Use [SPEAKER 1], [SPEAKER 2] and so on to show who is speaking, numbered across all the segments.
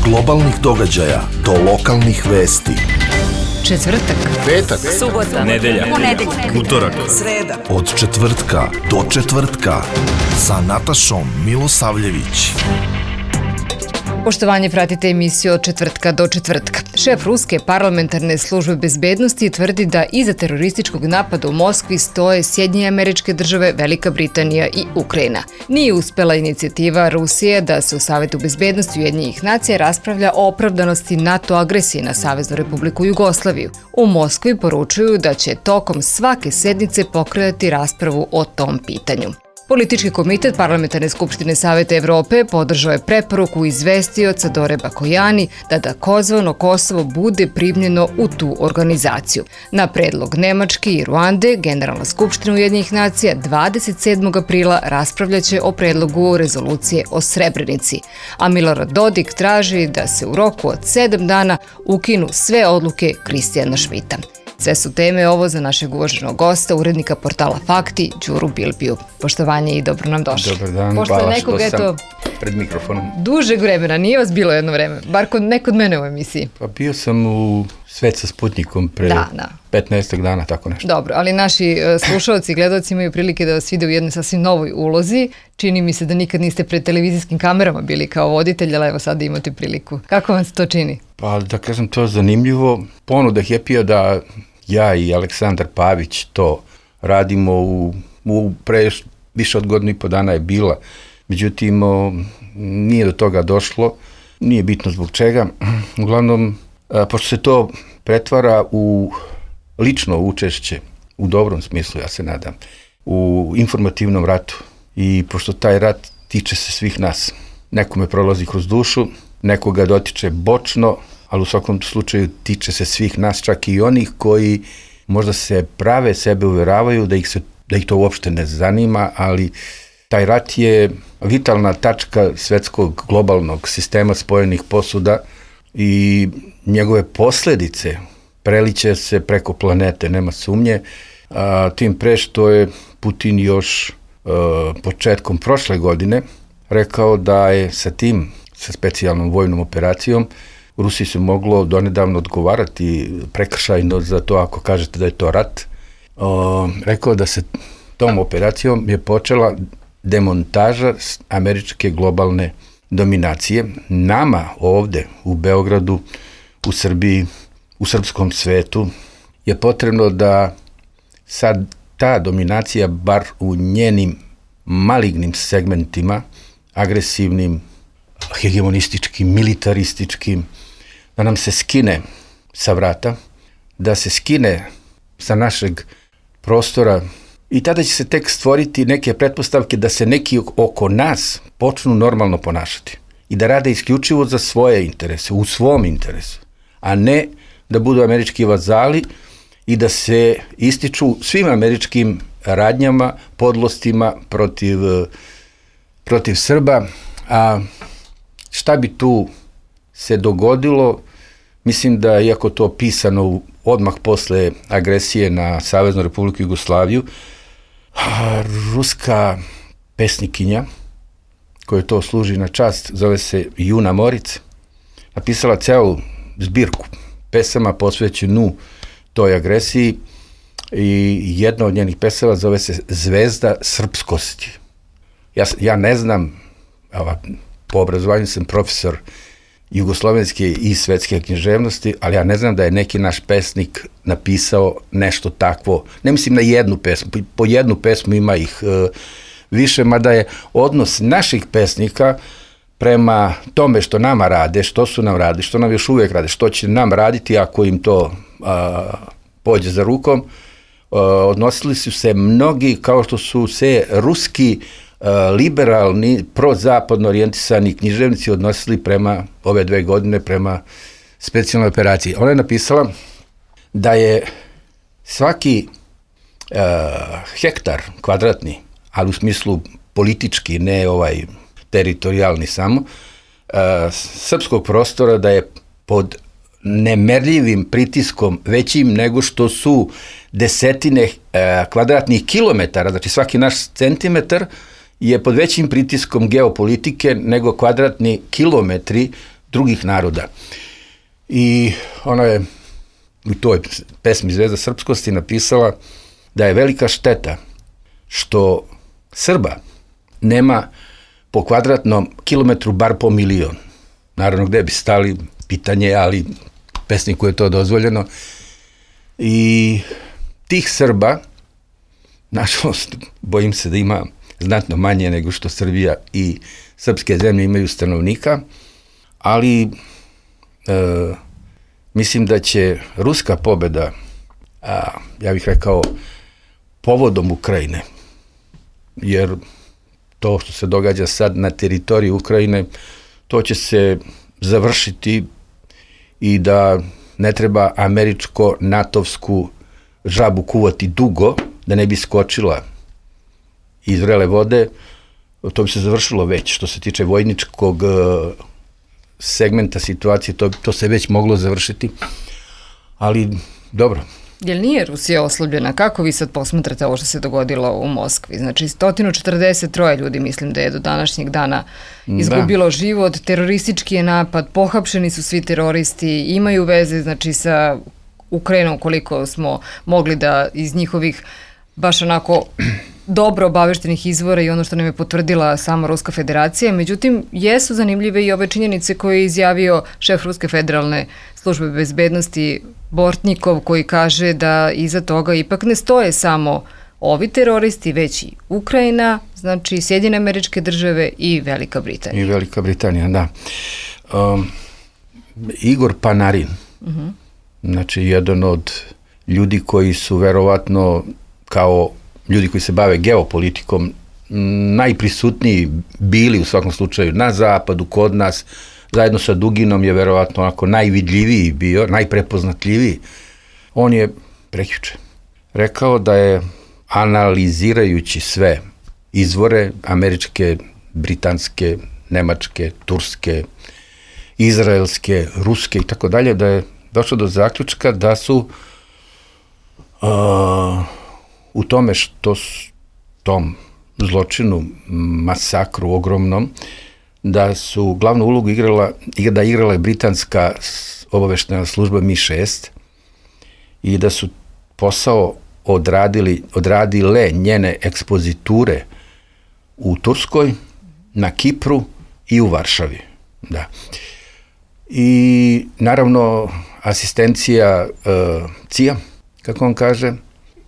[SPEAKER 1] globalnih događaja do lokalnih vesti.
[SPEAKER 2] Četvrtak,
[SPEAKER 1] petak,
[SPEAKER 2] subota,
[SPEAKER 3] nedelja, utorak,
[SPEAKER 2] sreda.
[SPEAKER 1] Od četvrtka do četvrtka sa Natašom Milosavljević.
[SPEAKER 2] Poštovanje, pratite emisiju Od četvrtka do četvrtka. Šef Ruske parlamentarne službe bezbednosti tvrdi da iza terorističkog napada u Moskvi stoje Sjedinjene Američke Države, Velika Britanija i Ukrajina. Nije uspela inicijativa Rusije da se u Savetu bezbednosti Ujedinjenih nacija raspravlja o opravdanosti NATO agresije na Saveznu Republiku Jugoslaviju. U Moskvi poručuju da će tokom svake sednice pokretati raspravu o tom pitanju. Politički komitet Parlamentarne skupštine Saveta Evrope podržao je preporuku izvestioca Dore Bakojani da takozvano Kosovo bude primljeno u tu organizaciju. Na predlog Nemačke i Ruande, Generalna skupština Ujedinjenih nacija 27. aprila raspravljaće o predlogu rezolucije o Srebrenici, a Milorad Dodik traži da se u roku od 7 dana ukinu sve odluke Kristijana Šmita. Sve su teme ovo za našeg uvaženog gosta, urednika portala Fakti, Đuru Bilbiju. Poštovanje i dobro nam došli.
[SPEAKER 4] Dobar dan,
[SPEAKER 2] Pošto
[SPEAKER 4] hvala
[SPEAKER 2] nekog,
[SPEAKER 4] što sam pred mikrofonom.
[SPEAKER 2] Dužeg vremena, nije vas bilo jedno vreme, bar ne kod mene u emisiji.
[SPEAKER 4] Pa bio sam u Svet sa Sputnikom pre 15 dana, tako nešto.
[SPEAKER 2] Dobro, ali naši slušalci i gledalci imaju prilike da vas vide u jednoj sasvim novoj ulozi. Čini mi se da nikad niste pred televizijskim kamerama bili kao voditelj, ali evo sada imate priliku. Kako vam se to čini?
[SPEAKER 4] Pa da kažem, to je zanimljivo. Ponuda Happy-a da ja i Aleksandar Pavić to radimo u pre više od godinu i po dana je bila. Međutim, nije do toga došlo, nije bitno zbog čega. Uglavnom, pošto se to pretvara u lično učešće, u dobrom smislu, ja se nadam, u informativnom ratu. I pošto taj rat tiče se svih nas. Nekome prolazi kroz dušu, nekoga dotiče bočno, ali u svakom slučaju tiče se svih nas, čak i onih koji možda se prave, sebe uveravaju da ih to uopšte ne zanima, ali taj rat je vitalna tačka svetskog globalnog sistema spojenih posuda i njegove posljedice preliće se preko planete, nema sumnje. Tim pre što je Putin još početkom prošle godine rekao da je sa specijalnom vojnom operacijom Rusiji se moglo donedavno odgovarati prekršajno za to ako kažete da je to rat. Rekao da se tom operacijom je počela demontaža američke globalne dominacije. Nama ovde u Beogradu, u Srbiji, u srpskom svetu je potrebno da sad ta dominacija, bar u njenim malignim segmentima, agresivnim, hegemonističkim, militarističkim, da nam se skine sa vrata, da se skine sa našeg prostora i tada će se tek stvoriti neke pretpostavke da se neki oko nas počnu normalno ponašati i da rade isključivo za svoje interese, u svom interesu, a ne da budu američki vazali i da se ističu svim američkim radnjama, podlostima protiv Srba. A šta bi tu se dogodilo? Mislim da, iako to pisano odmah posle agresije na Saveznu Republiku Jugoslaviju, ruska pesnikinja, koja to služi na čast, zove se Juna Moric, napisala celu zbirku pesama posvećenu toj agresiji i jedna od njenih pesama zove se Zvezda srpskosti. Ja ne znam, po obrazovanju sam profesor jugoslovenske i svetske književnosti, ali ja ne znam da je neki naš pesnik napisao nešto takvo. Ne mislim na jednu pesmu, po jednu pesmu ima ih više, mada je odnos naših pesnika prema tome što nama rade, što su nam radi, što nam još uvijek rade, što će nam raditi ako im to pođe za rukom, odnosili su se mnogi kao što su se ruski liberalni, prozapadno orijentisani književnici odnosili prema ove 2 godine, prema specijalnoj operaciji. Ona je napisala da je svaki hektar kvadratni, ali u smislu politički, ne teritorijalni samo, srpskog prostora da je pod nemerljivim pritiskom većim nego što su desetine kvadratnih kilometara, znači svaki naš centimetar je pod većim pritiskom geopolitike nego kvadratni kilometri drugih naroda. I ona je u toj pesmi Zvezda srpskosti napisala da je velika šteta što Srba nema po kvadratnom kilometru bar po milion. Naravno, gde bi stali, pitanje, ali pesniku je to dozvoljeno. I tih Srba, nažalost, bojim se da ima znatno manje nego što Srbija i srpske zemlje imaju stanovnika, ali mislim da će ruska pobeda, ja bih rekao, povodom Ukrajine, jer to što se događa sad na teritoriji Ukrajine, to će se završiti i da ne treba američko-natovsku žabu kuvati dugo, da ne bi skočila iz vrele vode. To bi se završilo već. Što se tiče vojničkog segmenta situacije, to se već moglo završiti. Ali, dobro.
[SPEAKER 2] Jel nije Rusija oslabljena? Kako vi sad posmatrate ovo što se dogodilo u Moskvi? Znači, 143 ljudi, mislim da je do današnjeg dana izgubilo život, teroristički je napad, pohapšeni su svi teroristi, imaju veze, znači, sa Ukrajinom, koliko smo mogli da iz njihovih baš onako dobro obaveštenih izvora i ono što nam je potvrdila sama Ruska federacija. Međutim, jesu zanimljive i ove činjenice koje je izjavio šef Ruske federalne službe bezbednosti Bortnikov, koji kaže da iza toga ipak ne stoje samo ovi teroristi, već i Ukrajina, znači Sjedinjene Američke Države i Velika Britanija.
[SPEAKER 4] I Velika Britanija, da. Igor Panarin, znači jedan od ljudi koji su verovatno kao ljudi koji se bave geopolitikom najprisutniji bili u svakom slučaju na zapadu, kod nas, zajedno sa Duginom je verovatno onako najvidljiviji bio, najprepoznatljiviji. On je prekjuče rekao da je analizirajući sve izvore američke, britanske, nemačke, turske, izraelske, ruske i tako dalje, da je došao do zaključka da su u tome što tom zločinu, masakru ogromnom, da su glavnu ulogu igrala britanska obaveštena služba MI6 i da su posao odradile njene ekspoziture u Turskoj, na Kipru i u Varšavi. Da. I naravno asistencija CIA, kako on kaže,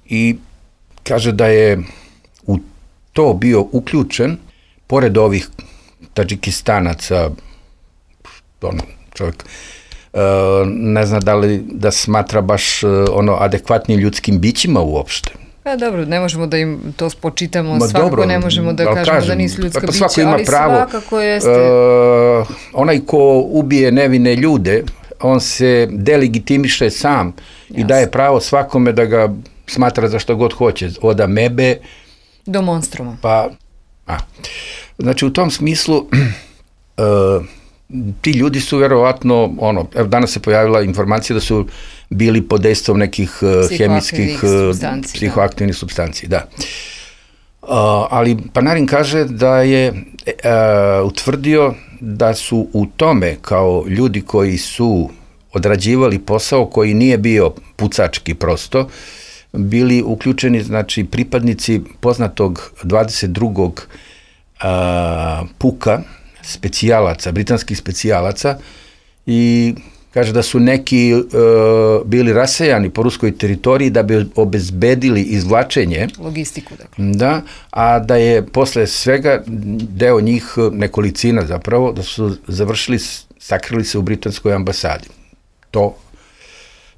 [SPEAKER 4] i kaže da je u to bio uključen, pored ovih Tadžikistanaca, čovjek ne zna da li da smatra baš adekvatnim ljudskim bićima uopšte.
[SPEAKER 2] Pa dobro, ne možemo da im to spočitamo, svakako ne možemo da kažemo da nisu ljudska bića, ali svakako jeste.
[SPEAKER 4] Onaj ko ubije nevine ljude, on se delegitimiše sam i daje pravo svakome da ga smatra za što god hoće, od amebe
[SPEAKER 2] do monstruma.
[SPEAKER 4] Znači, u tom smislu ti ljudi su verovatno, danas se pojavila informacija da su bili pod dejstvom nekih hemijskih psihoaktivnih supstanci, da. Ali Panarin kaže da je utvrdio da su u tome kao ljudi koji su odrađivali posao koji nije bio pucački prosto, bili uključeni, znači, pripadnici poznatog 22. puka specijalaca, britanskih specijalaca, i kaže da su neki bili rasejani po ruskoj teritoriji da bi obezbedili izvlačenje.
[SPEAKER 2] Logistiku, dakle.
[SPEAKER 4] Da, a da je posle svega deo njih, nekolicina zapravo, da su završili, sakrili se u britanskoj ambasadi.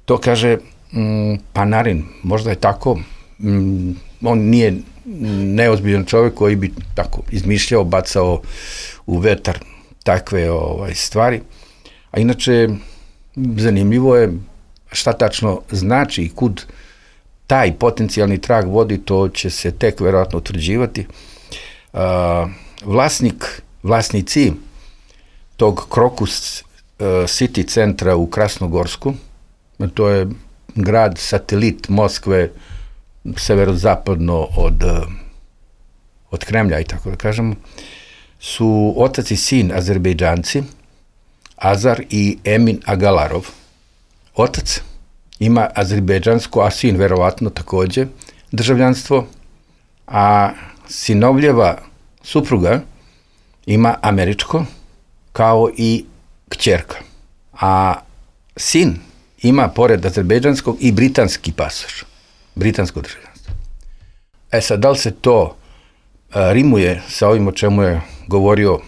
[SPEAKER 4] To kaže Panarin, možda je tako, on nije neozbiljan čovjek koji bi tako izmišljao, bacao u vetar takve stvari. A inače, zanimljivo je šta tačno znači i kud taj potencijalni trag vodi, to će se tek verovatno utvrđivati. Vlasnici tog Crocus City centra u Krasnogorsku, to je grad satelit Moskve, severozapadno od Kremlja, i tako da kažemo, su otac i sin Azerbejdžanci, Azar i Emin Agalarov. Otac ima azerbejdžansko, a sin verovatno takođe državljanstvo, a sinovljeva supruga ima američko, kao i kćerka. A sin ima, pored azerbejdžanskog, i britanski pasoš, britansko državljanstvo. Sad, da li se to rimuje sa ovim o čemu je govorio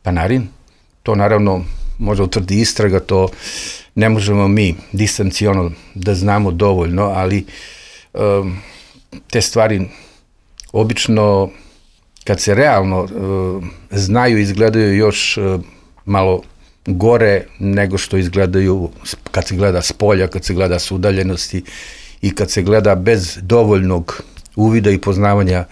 [SPEAKER 4] Panarin? To naravno može utvrdi istraga, to ne možemo mi distanciono da znamo dovoljno, ali te stvari obično kad se realno znaju, izgledaju još malo gore nego što izgledaju kad se gleda s polja, kad se gleda s udaljenosti i kad se gleda bez dovoljnog uvida i poznavanja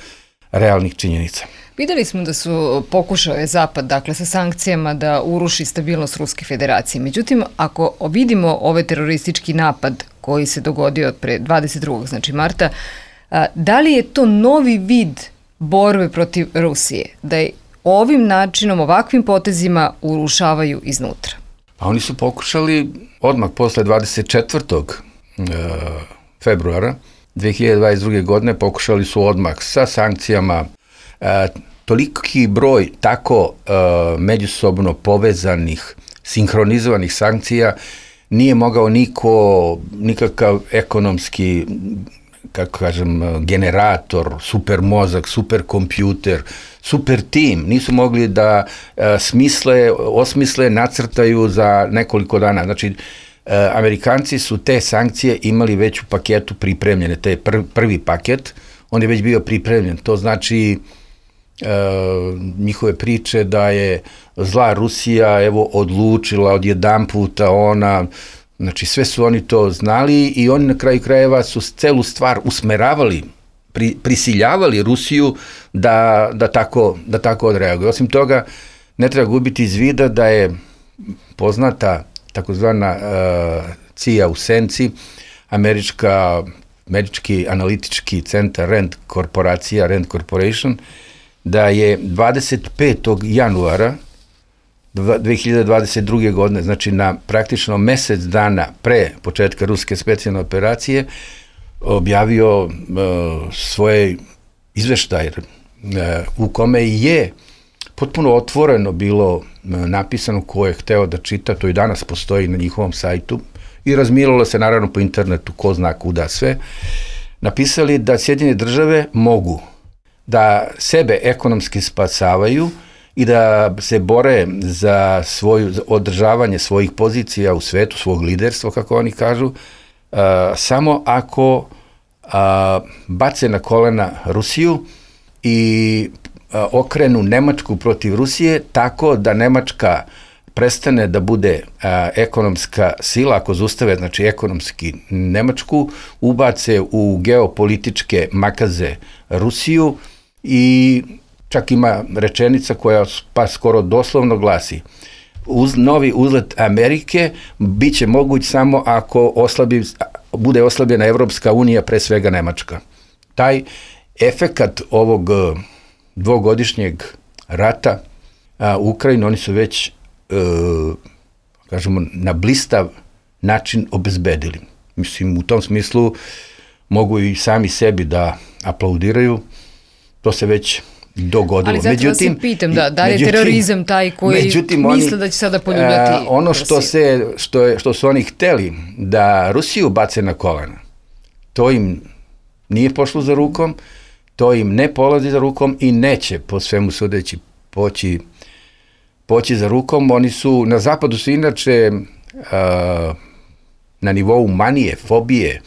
[SPEAKER 4] realnih činjenica.
[SPEAKER 2] Videli smo da su pokušao Zapad, dakle, sa sankcijama da uruši stabilnost Ruske federacije. Međutim, ako vidimo ovaj teroristički napad koji se dogodio pre 22. znači marta, da li je to novi vid borbe protiv Rusije? Da je ovim načinom, ovakvim potezima urušavaju iznutra?
[SPEAKER 4] Pa oni su pokušali odmah posle 24. februara 2022. godine, pokušali su odmah sa sankcijama. Toliki broj tako međusobno povezanih, sinhronizovanih sankcija nije mogao nikakav ekonomski, kako kažem, generator, super mozak, super kompjuter, super tim, nisu mogli da osmisle, nacrtaju za nekoliko dana. Znači, Amerikanci su te sankcije imali već u paketu pripremljene, to je prvi paket, on je već bio pripremljen, to znači njihove priče da je zla Rusija evo odlučila odjedanputa ona, znači sve su oni to znali i oni na kraju krajeva su celu stvar usmeravali, prisiljavali Rusiju da tako odreaguje. Osim toga, ne treba gubiti iz vida da je poznata takozvana CIA u senci, američki analitički centar Rand Corporation, da je 25. januara 2022. godine, znači na praktično mesec dana pre početka ruske specijalne operacije, objavio svoje izveštaje u kome je potpuno otvoreno bilo napisano ko je hteo da čita, to i danas postoji na njihovom sajtu i razmiralo se naravno po internetu, ko zna kuda sve, napisali da Sjedinjene države mogu da sebe ekonomski spasavaju i da se bore za održavanje svojih pozicija u svetu, svog liderstva, kako oni kažu, samo ako bace na kolena Rusiju i okrenu Nemačku protiv Rusije, tako da Nemačka prestane da bude ekonomska sila, ako zaustave, znači ekonomski Nemačku, ubace u geopolitičke makaze Rusiju i čak ima rečenica koja pa skoro doslovno glasi: novi uzlet Amerike bit će moguć samo ako bude oslabljena Evropska unija, pre svega Nemačka. Taj efekat ovog dvogodišnjeg rata u Ukrajini oni su već, kažemo, na blistav način obezbedili. Mislim, u tom smislu mogu i sami sebi da aplaudiraju, to se već dogodilo.
[SPEAKER 2] Ali zato vas i pitam, da je terorizam taj koji misle da će sada poljuljati
[SPEAKER 4] ono što su oni hteli da Rusiju bace na kolena, to im nije pošlo za rukom, to im ne polazi za rukom i neće, po svemu sudeći, poći za rukom. Oni su, na zapadu su inače na nivou manije, fobije,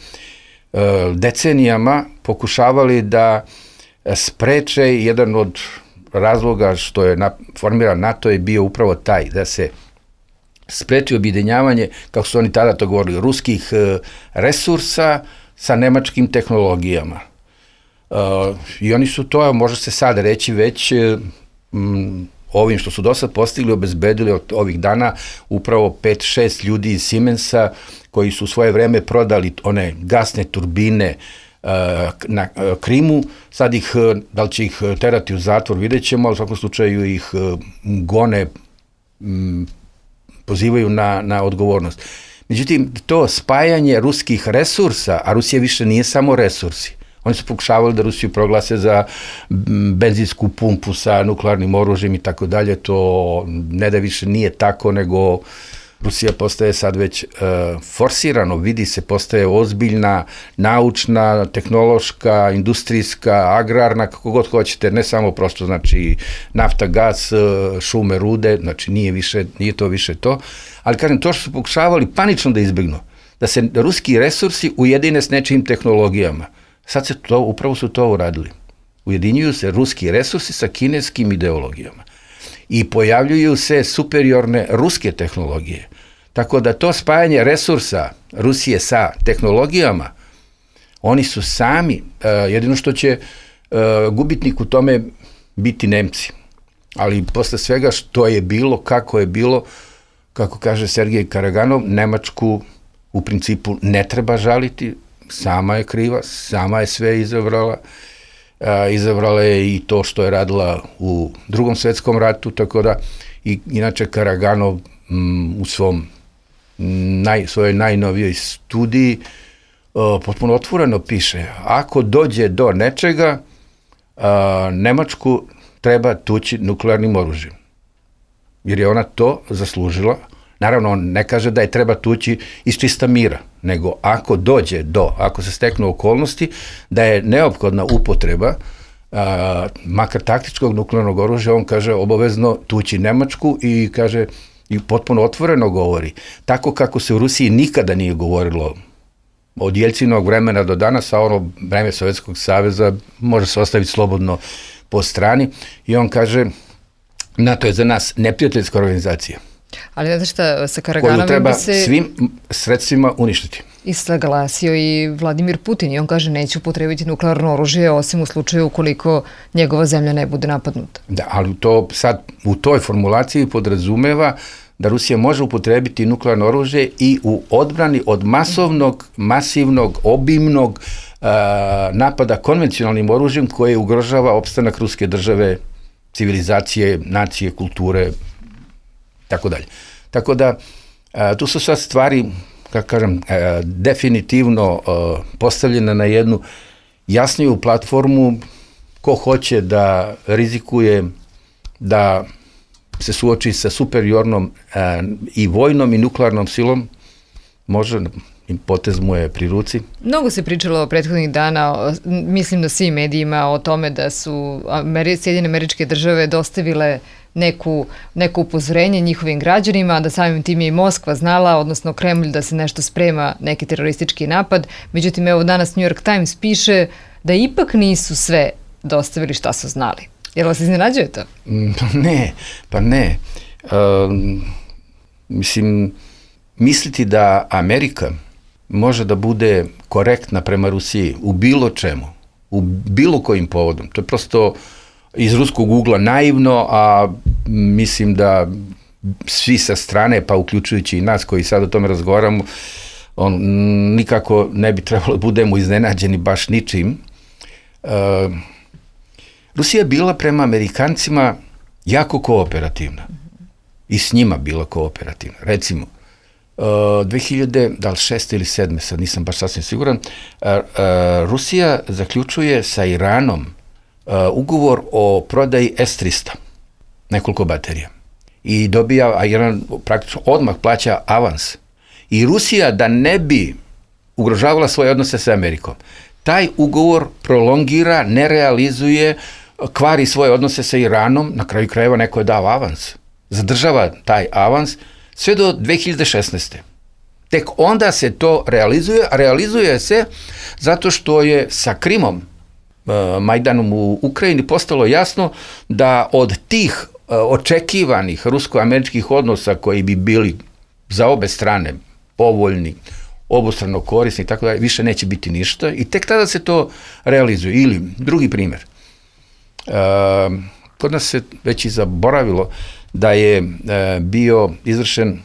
[SPEAKER 4] decenijama pokušavali da spreče. Jedan od razloga što je formiran NATO je bio upravo taj, da se spreči objedinjavanje, kako su oni tada to govorili, ruskih resursa sa nemačkim tehnologijama. I oni su to, može se sad reći, već ovim što su do sad postigli, obezbedili od ovih dana upravo 5-6 ljudi iz Siemensa koji su u svoje vreme prodali one gasne turbine na Krimu. Sad ih, da li će ih terati u zatvor, vidjet ćemo, ali u svakom slučaju ih gone pozivaju na odgovornost. Međutim, to spajanje ruskih resursa, a Rusija više nije samo resursi. Oni su pokušavali da Rusiju proglase za benzinsku pumpu sa nuklearnim oružjem i tako dalje. To ne da više nije tako, nego Rusija postaje sad već forsirano, vidi se, postaje ozbiljna, naučna, tehnološka, industrijska, agrarna, kako god hoćete, ne samo prosto, znači, nafta, gas, šume, rude, znači nije to više to. Ali kažem, to što su pokušavali panično da izbjegnu, da se ruski resursi ujedine s nečijim tehnologijama. Sad upravo su to uradili. Ujedinjuju se ruski resursi sa kineskim ideologijama. I pojavljuju se superiorne ruske tehnologije. Tako da to spajanje resursa Rusije sa tehnologijama, oni su sami, jedino što će gubitnik u tome biti Nemci. Ali posle svega što je bilo, kako kaže Sergej Karaganov, Nemačku u principu ne treba žaliti, sama je kriva, sama je sve izabrala. Izabrala je i to što je radila u Drugom svetskom ratu, tako da inače Karaganov u svojoj najnovijoj studiji potpuno otvoreno piše, ako dođe do nečega, Nemačku treba tući nuklearnim oružjem. Jer je ona to zaslužila. Naravno, on ne kaže da je treba tući iz čista mira, nego ako se steknu okolnosti, da je neophodna upotreba makar taktičkog nuklearnog oružja, on kaže obavezno tući Nemačku i kaže i potpuno otvoreno govori. Tako kako se u Rusiji nikada nije govorilo od Jelcinovog vremena do danas, a ono vreme Sovjetskog saveza može se ostaviti slobodno po strani i on kaže NATO je za nas neprijateljska organizacija.
[SPEAKER 2] Ali znate šta, sa Karaganovim
[SPEAKER 4] koju treba svim sredstvima uništiti.
[SPEAKER 2] I saglasio i Vladimir Putin i on kaže neće upotrebiti nuklearno oružje osim u slučaju ukoliko njegova zemlja ne bude napadnuta.
[SPEAKER 4] Da, ali to sad u toj formulaciji podrazumeva da Rusija može upotrebiti nuklearno oružje i u odbrani od masivnog, obimnog napada konvencionalnim oružjem koje ugrožava opstanak ruske države, civilizacije, nacije, kulture, tako dalje. Tako da, tu su sad stvari, kako kažem, definitivno postavljene na jednu jasniju platformu. Ko hoće da rizikuje, da se suoči sa superiornom i vojnom i nuklearnom silom, može, potez mu je pri ruci.
[SPEAKER 2] Mnogo se pričalo prethodnih dana, mislim na svim medijima, o tome da su Sjedinjene Američke Države dostavile neko upozorenje njihovim građanima, da samim tim je i Moskva znala, odnosno Kremlj, da se nešto sprema, neki teroristički napad. Međutim, evo danas New York Times piše da ipak nisu sve dostavili šta su znali. Jel vas iznenađuje to?
[SPEAKER 4] Pa ne. Misliti da Amerika može da bude korektna prema Rusiji u bilo čemu, u bilo kojim povodom. To je prosto iz ruskog ugla naivno, a mislim da svi sa strane, pa uključujući i nas koji sad o tome razgovaramo, nikako ne bi trebalo da budemo iznenađeni baš ničim. Rusija je bila prema Amerikancima jako kooperativna i s njima bila kooperativna. Recimo, 2006. ili 2007. sad nisam baš sasvim siguran, Rusija zaključuje sa Iranom ugovor o prodaji S-300, nekoliko baterija. I dobija, a Iran praktično odmah plaća avans. I Rusija, da ne bi ugrožavala svoje odnose sa Amerikom, taj ugovor prolongira, ne realizuje, kvari svoje odnose sa Iranom, na kraju krajeva neko je dao avans. Zadržava taj avans sve do 2016. Tek onda se to realizuje, a realizuje se zato što je sa Krimom, Majdanom u Ukrajini, postalo jasno da od tih očekivanih rusko-američkih odnosa koji bi bili za obe strane povoljni, obostrano korisni i tako dalje, više neće biti ništa i tek tada se to realizuje. Ili drugi primjer, kod nas se već i zaboravilo da je bio izvršen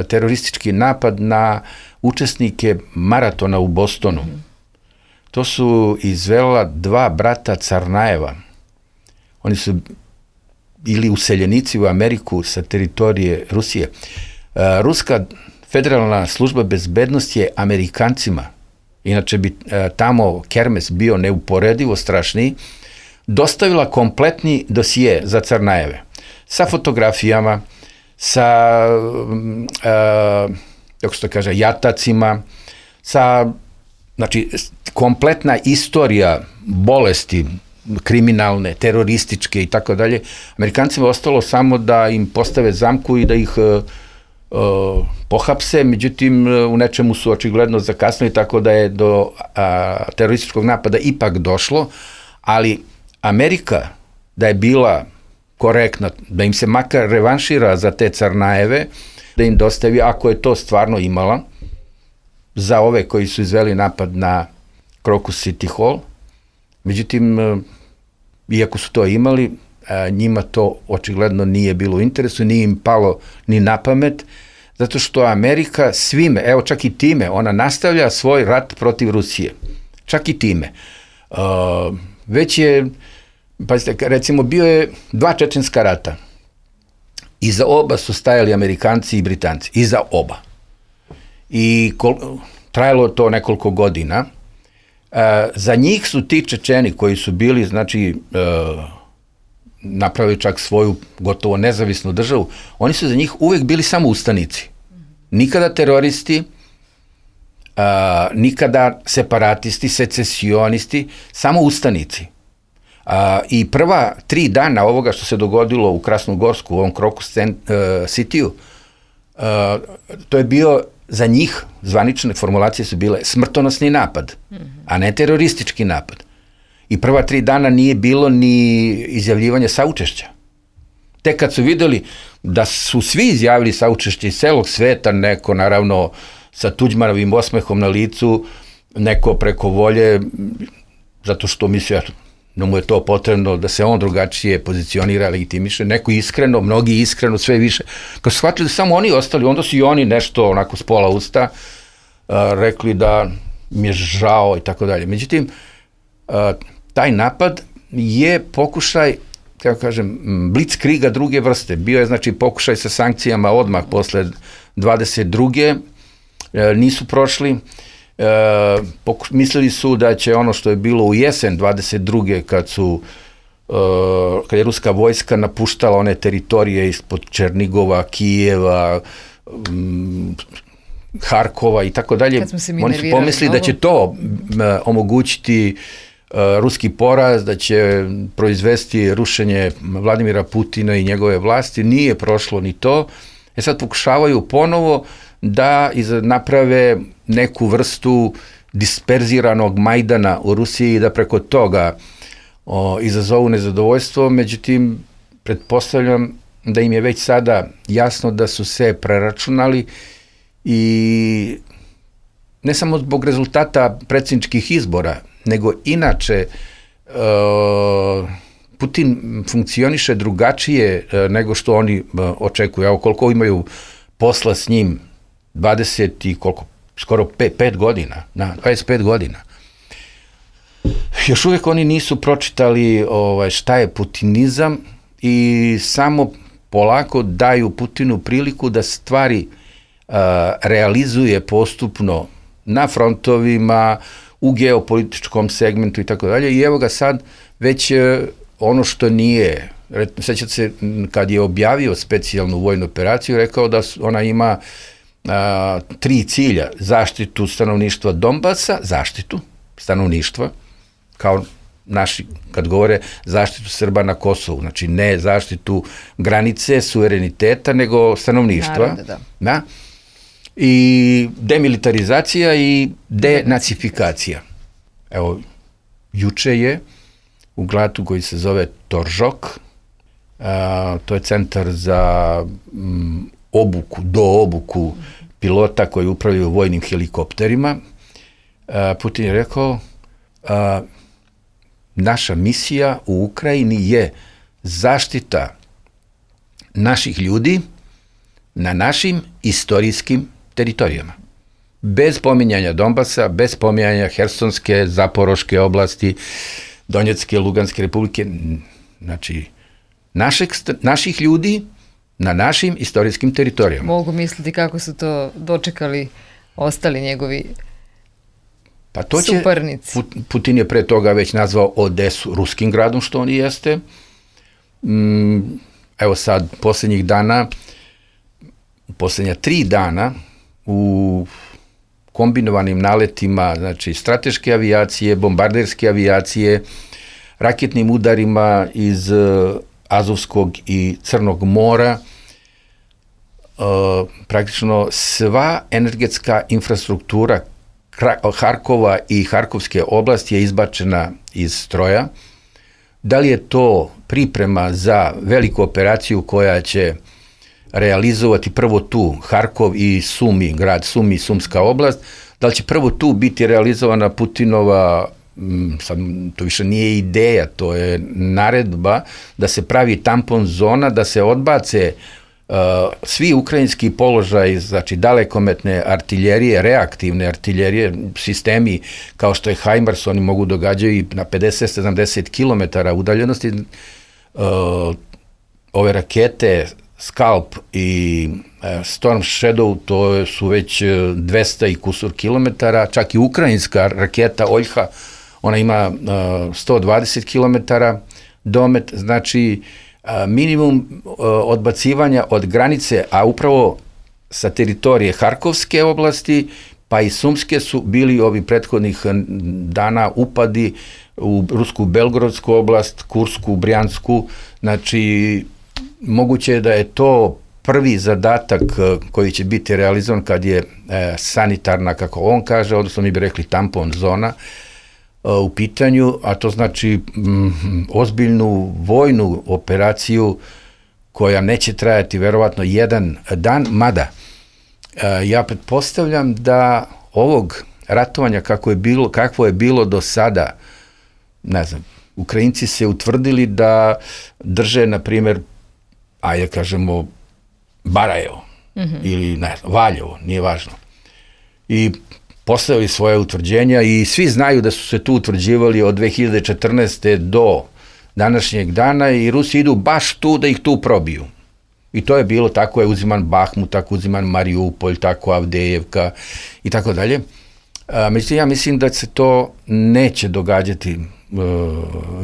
[SPEAKER 4] teroristički napad na učesnike maratona u Bostonu. To su izvela dva brata Carnajeva. Oni su ili useljenici u Ameriku sa teritorije Rusije. Ruska federalna služba bezbednosti je Amerikancima, inače bi tamo kermes bio neuporedivo strašniji, dostavila kompletni dosije za Crnajeve sa fotografijama, sa kako se to kaže, jatacima, sa, znači, kompletna istorija bolesti kriminalne, terorističke i tako dalje. Amerikancima je ostalo samo da im postave zamku i da ih pohapse, međutim u nečemu su očigledno zakasnili, tako da je do terorističkog napada ipak došlo, ali Amerika da je bila korektna, da im se makar revanšira za te Crnajeve, da im dostavi, ako je to stvarno imala, za ove koji su izveli napad na Crocus City Hall. Međutim, iako su to imali, njima to očigledno nije bilo u interesu, nije im palo ni na pamet, zato što Amerika svime, evo čak i time, ona nastavlja svoj rat protiv Rusije. Čak i time. Već je, pazite, recimo bio je 2 čečenska rata. Iza oba su stajali Amerikanci i Britanci. Iza oba. I trajalo to nekoliko godina. Za njih su ti Čečeni koji su bili, znači, napravili čak svoju gotovo nezavisnu državu, oni su za njih uvek bili samo ustanici. Nikada teroristi, nikada separatisti, secesionisti, samo ustanici. I prva 3 dana ovoga što se dogodilo u Krasnogorsku, u ovom Crocus City-u, to je bio za njih, zvanične formulacije su bile smrtonosni napad, a ne teroristički napad. I prva 3 dana nije bilo ni izjavljivanja saučešća. Tek kad su videli da su svi izjavili saučešće iz celog sveta, neko naravno sa Tuđmanovim osmehom na licu, neko preko volje, zato što mislio da mu je to potrebno, da se on drugačije pozicionira, legitimiše, neko iskreno, mnogi iskreno, sve više. Kad su shvatili da samo oni ostali, onda su i oni nešto onako s pola usta rekli da mi je žao i tako dalje. Međutim, taj napad je pokušaj, kako kažem, blitzkriga druge vrste. Bio je, znači, pokušaj sa sankcijama odmah posle 22. Nisu prošli. Mislili su da će ono što je bilo u jesen 22. kad je ruska vojska napuštala one teritorije ispod Černigova, Kijeva, Harkova i tako dalje. Oni su pomislili da će to omogućiti ruski poraz, da će proizvesti rušenje Vladimira Putina i njegove vlasti. Nije prošlo ni to. Sad pokušavaju ponovo da naprave neku vrstu disperziranog Majdana u Rusiji i da preko toga izazovu nezadovoljstvo. Međutim, pretpostavljam da im je već sada jasno da su se preračunali i ne samo zbog rezultata predsjedničkih izbora, nego inače Putin funkcioniše drugačije nego što oni očekuju. Evo koliko imaju posla s njim, 20 i koliko, skoro 5 godina, 25 godina. Još uvijek oni nisu pročitali šta je putinizam i samo polako daju Putinu priliku da stvari realizuje postupno na frontovima, u geopolitičkom segmentu i tako dalje. I evo ga sad već ono što nije, sećate se kad je objavio specijalnu vojnu operaciju, rekao da ona ima 3 cilja: zaštitu stanovništva Donbasa, zaštitu stanovništva, kao naši, kad govore zaštitu Srba na Kosovu, znači ne zaštitu granice, suvereniteta, nego stanovništva.
[SPEAKER 2] Naravno,
[SPEAKER 4] da. I demilitarizacija i denacifikacija. Evo, juče je u gradu koji se zove Toržok, to je centar za obuku pilota koji upravljaju vojnim helikopterima. Putin je rekao, naša misija u Ukrajini je zaštita naših ljudi na našim istorijskim teritorijama. Bez pominjanja Donbasa, bez pominjanja Hersonske, Zaporoške oblasti, Donjecke, Luganske republike, znači naših ljudi na našim istorijskim teritorijama.
[SPEAKER 2] Mogu misliti kako su to dočekali ostali njegovi
[SPEAKER 4] Pa to će,
[SPEAKER 2] suparnici.
[SPEAKER 4] Putin je pre toga već nazvao Odesu ruskim gradom, što on i jeste. Evo sad, posljednjih dana, posljednja 3 dana, u kombinovanim naletima, znači strateške avijacije, bombarderske avijacije, raketnim udarima iz Azovskog i Crnog mora, praktično sva energetska infrastruktura Harkova i Harkovske oblasti je izbačena iz stroja. Da li je to priprema za veliku operaciju koja će realizovati prvo tu Harkov i Sumi, grad Sumi, Sumska oblast, da li će prvo tu biti realizovana Putinova, sad to više nije ideja, to je naredba da se pravi tampon zona, da se odbace svi ukrajinski položaj, znači dalekometne artiljerije, reaktivne artiljerije, sistemi kao što je HIMARS, oni mogu događaju i na 50-70 km udaljenosti. Ove rakete Scalp i Storm Shadow, to su već 200 i kusur kilometara, čak i ukrajinska raketa Oljha, ona ima 120 km domet, znači minimum odbacivanja od granice, a upravo sa teritorije Harkovske oblasti, pa i Sumske su bili ovi prethodnih dana upadi u Rusku Belgorodsku oblast, Kursku, Brjansku, znači moguće je da je to prvi zadatak koji će biti realizovan kad je sanitarna, kako on kaže, odnosno mi bi rekli tampon zona, u pitanju, a to znači ozbiljnu vojnu operaciju koja neće trajati verovatno 1 dan, mada ja pretpostavljam da ovog ratovanja kakvo je bilo do sada, ne znam, Ukrajinci se utvrdili da drže, na primjer, ajde kažemo, Barajevo ili ne znam, Valjevo, nije važno. I postavili svoje utvrđenja i svi znaju da su se tu utvrđivali od 2014. do današnjeg dana i Rusi idu baš tu da ih tu probiju. I to je bilo, tako je uziman Bahmut, tako uziman Mariupolj, tako Avdejevka i tako dalje. Međutim, ja mislim da se to neće događati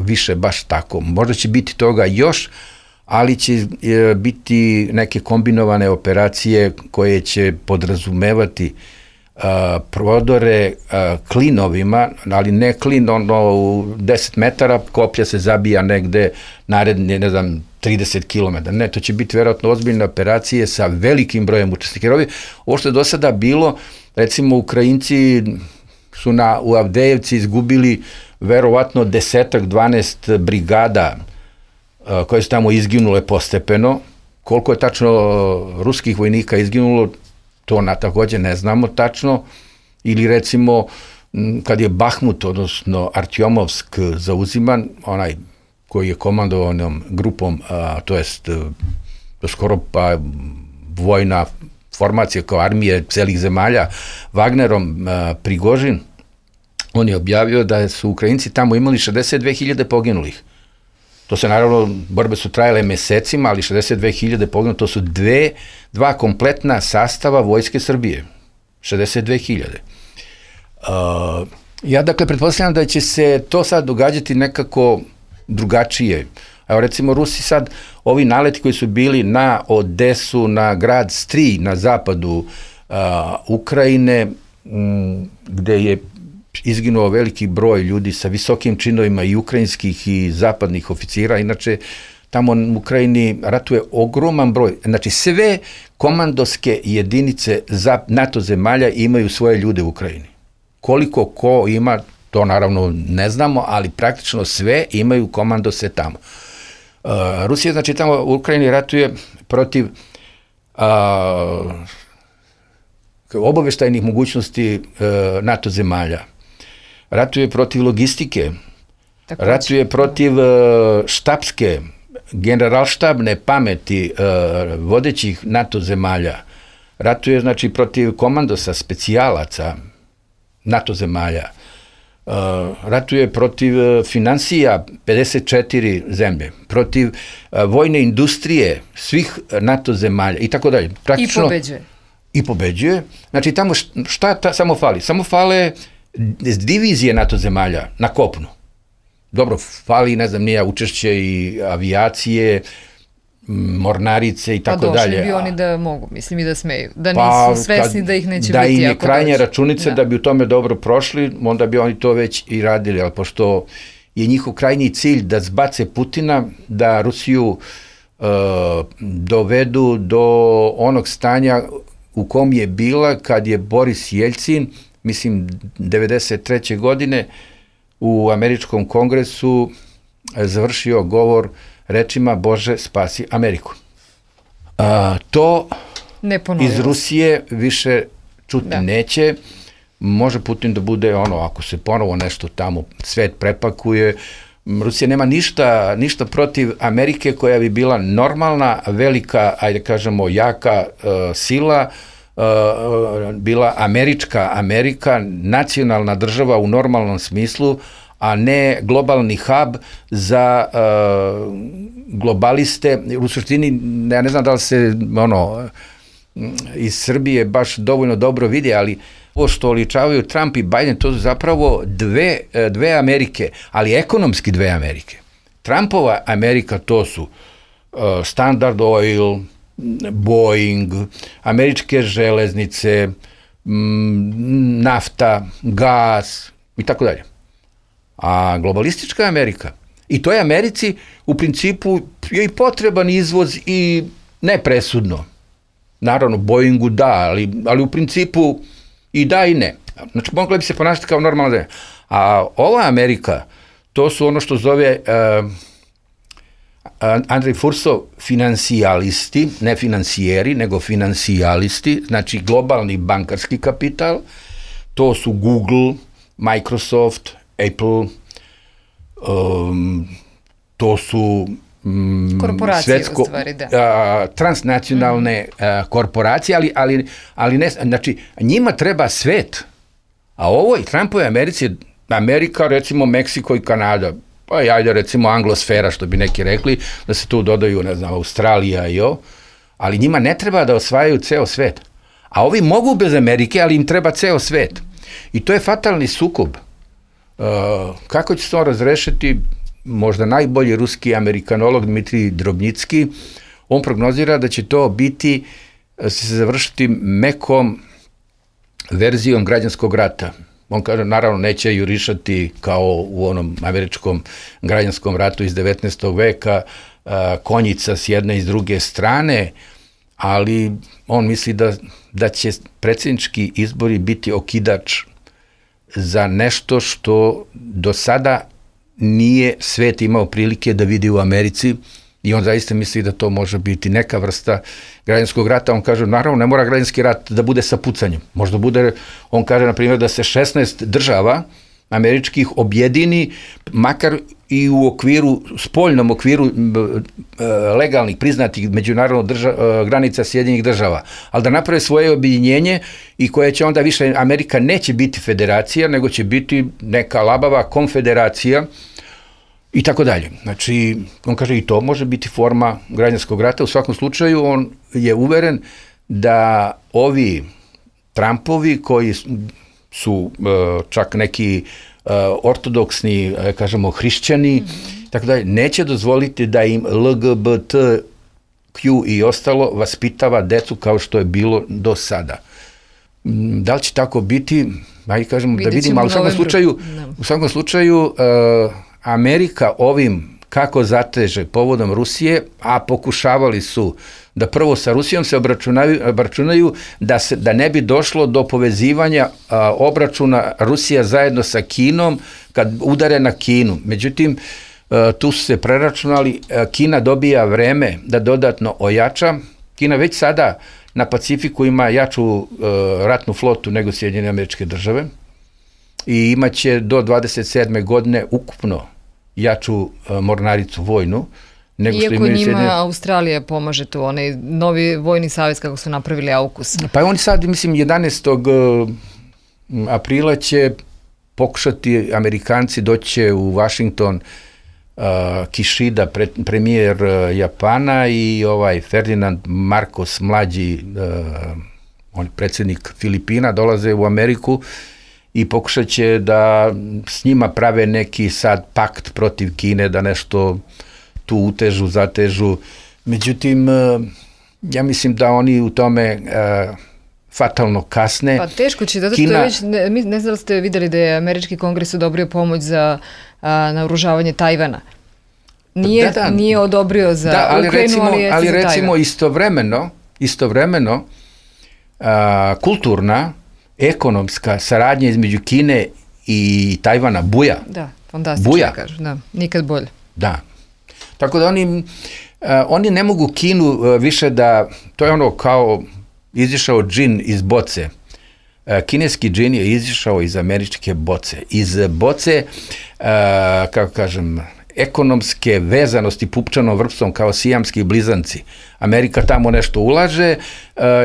[SPEAKER 4] više baš tako. Možda će biti toga još, ali će biti neke kombinovane operacije koje će podrazumevati prodore klinovima, ali ne klin u 10 metara, koplja se zabija negde naredne, ne znam, 30 km. Ne, to će biti verovatno ozbiljne operacije sa velikim brojem učesnika. Ovo što je do sada bilo, recimo Ukrajinci su u Avdejevci izgubili verovatno 10-12 brigada koje su tamo izginule postepeno. Koliko je tačno ruskih vojnika izginulo, to također ne znamo tačno, ili recimo kad je Bahmut, odnosno Artjomovsk zauziman, onaj koji je komandovao onom grupom, to jest skoro pa vojna formacija kao armije celih zemalja, Wagnerom Prigožin, on je objavio da su Ukrajinci tamo imali 62.000 poginulih. To se naravno, borbe su trajale mesecima, ali 62.000 poginulih, to su dva kompletna sastava Vojske Srbije. 62.000. Ja dakle pretpostavljam da će se to sad događati nekako drugačije. Evo recimo Rusi sad, ovi naleti koji su bili na Odesu, na grad Strij na zapadu Ukrajine, gde je izginuo veliki broj ljudi sa visokim činovima i ukrajinskih i zapadnih oficira. Inače, tamo u Ukrajini ratuje ogroman broj. Znači, sve komandovske jedinice NATO zemalja imaju svoje ljude u Ukrajini. Koliko ko ima, to naravno ne znamo, ali praktično sve imaju komandose tamo. Rusija, znači, tamo u Ukrajini ratuje protiv obaveštajnih mogućnosti NATO zemalja. Ratuje protiv logistike, ratuje protiv štabske, generalštabne pameti vodećih NATO zemalja, ratuje znači protiv komandosa, specijalaca NATO zemalja, ratuje protiv finansija 54 zemlje, protiv vojne industrije svih NATO zemalja i tako dalje.
[SPEAKER 2] Praktično,
[SPEAKER 4] I pobeđuje. Znači, tamo šta samo fali? Samo fale divizije NATO zemalja na kopnu. Dobro, fali, ne znam, nije učešće i avijacije, mornarice i tako dalje.
[SPEAKER 2] Pa došli bi oni da mogu, mislim, i da smeju. Da nisu svesni da ih neće biti.
[SPEAKER 4] Da im je krajnja računica da bi u tome dobro prošli, onda bi oni to već i radili, ali pošto je njihov krajnji cilj da zbace Putina, da Rusiju dovedu do onog stanja u kom je bila kad je Boris Jeljcin, mislim, 93. godine u američkom kongresu završio govor rečima Bože, spasi Ameriku. To iz Rusije više čuti neće. Može Putin da bude ako se ponovo nešto tamo svet prepakuje. Rusija nema ništa protiv Amerike koja bi bila normalna, velika, ajde kažemo, jaka sila, bila Amerika, nacionalna država u normalnom smislu, a ne globalni hub za globaliste. U suštini, ja ne znam da li se iz Srbije baš dovoljno dobro vidi, ali ovo što oličavaju Trump i Biden, to su zapravo dve Amerike, ali ekonomski dve Amerike. Trumpova Amerika to su Standard Oil, Boeing, američke železnice, nafta, gas i tako dalje. A globalistička Amerika, i to je Americi u principu je i potreban izvoz i nepresudno. Naravno, Boeingu da, ali u principu i da i ne. Znači, mogla bi se ponašati kao normalna zemlja. A ova Amerika, to su ono što zove Andrej Fursov financijalisti, ne financijeri, nego financijalisti, znači globalni bankarski kapital, to su Google, Microsoft, Apple, to su
[SPEAKER 2] korporacije u stvari, da.
[SPEAKER 4] Transnacionalne korporacije, ali ne, znači njima treba svet, a ovoj Trumpovoj Americi, Amerika, recimo Meksiko i Kanada, pa ajde recimo anglosfera, što bi neki rekli, da se tu dodaju, ne znam, Australija i ali njima ne treba da osvajaju ceo svet. A ovi mogu bez Amerike, ali im treba ceo svet. I to je fatalni sukob. Kako će se to razrešiti? Možda najbolji ruski amerikanolog Dmitrij Drobnjicki, on prognozira da će to biti, se završiti mekom verzijom građanskog rata. On kaže, naravno, neće jurišati kao u onom američkom građanskom ratu iz 19. veka, konjica s jedne i s druge strane, ali on misli da će predsjednički izbori biti okidač za nešto što do sada nije svet imao prilike da vidi u Americi, i on zaista misli da to može biti neka vrsta građanskog rata. On kaže, naravno, ne mora građanski rat da bude sa pucanjem. Možda bude, on kaže, na primjer, da se 16 država američkih objedini, makar i u spoljnom okviru legalnih, priznatih međunarodno granica Sjedinjenih država, ali da naprave svoje objedinjenje i koje će onda više, Amerika neće biti federacija, nego će biti neka labava konfederacija i tako dalje. Znači, on kaže, i to može biti forma građanskog rata. U svakom slučaju, on je uveren da ovi Trumpovi, koji su čak neki ortodoksni, kažemo, hrišćani, tako dalje, neće dozvoliti da im LGBTQ i ostalo vaspitava decu kao što je bilo do sada. Da li će tako biti? Ajde, kažemo, da vidimo, ali u svakom slučaju Amerika ovim kako zateže povodom Rusije, a pokušavali su da prvo sa Rusijom se obračunaju, da ne bi došlo do povezivanja obračuna Rusija zajedno sa Kinom kad udare na Kinu. Međutim, tu su se preračunali, Kina dobija vreme da dodatno ojača. Kina već sada na Pacifiku ima jaču ratnu flotu nego Sjedinjene Američke Države i imaće do 27. godine ukupno jaču mornaricu vojnu.
[SPEAKER 2] Iako njima Australija pomaže tu, onaj novi vojni savez kako su napravili AUKUS.
[SPEAKER 4] Pa oni sad, mislim, 11. aprila će pokušati Amerikanci doći u Washington, Kishida, premijer Japana i Ferdinand Marcos, mlađi, on je predsjednik Filipina, dolaze u Ameriku i pokušat će da s njima prave neki sad pakt protiv Kine, da nešto tu utežu, zatežu. Međutim, ja mislim da oni u tome fatalno kasne.
[SPEAKER 2] Pa teško će, zato što već, ne znam da ste vidjeli da je Američki kongres odobrio pomoć za naoružavanje Tajvana. Nije odobrio za Ukrajinu, ali jeste za Tajvan.
[SPEAKER 4] Recimo istovremeno kulturna, ekonomska saradnja između Kine i Tajvana buja.
[SPEAKER 2] Da, fantastično kažu, da, nikad bolje.
[SPEAKER 4] Da, tako da oni ne mogu Kinu više da, to je ono kao izišao džin iz boce. Kineski džin je izišao iz američke boce. Iz boce, kako kažem, ekonomske vezanosti pupčanom vrpcom kao sijamski blizanci. Amerika tamo nešto ulaže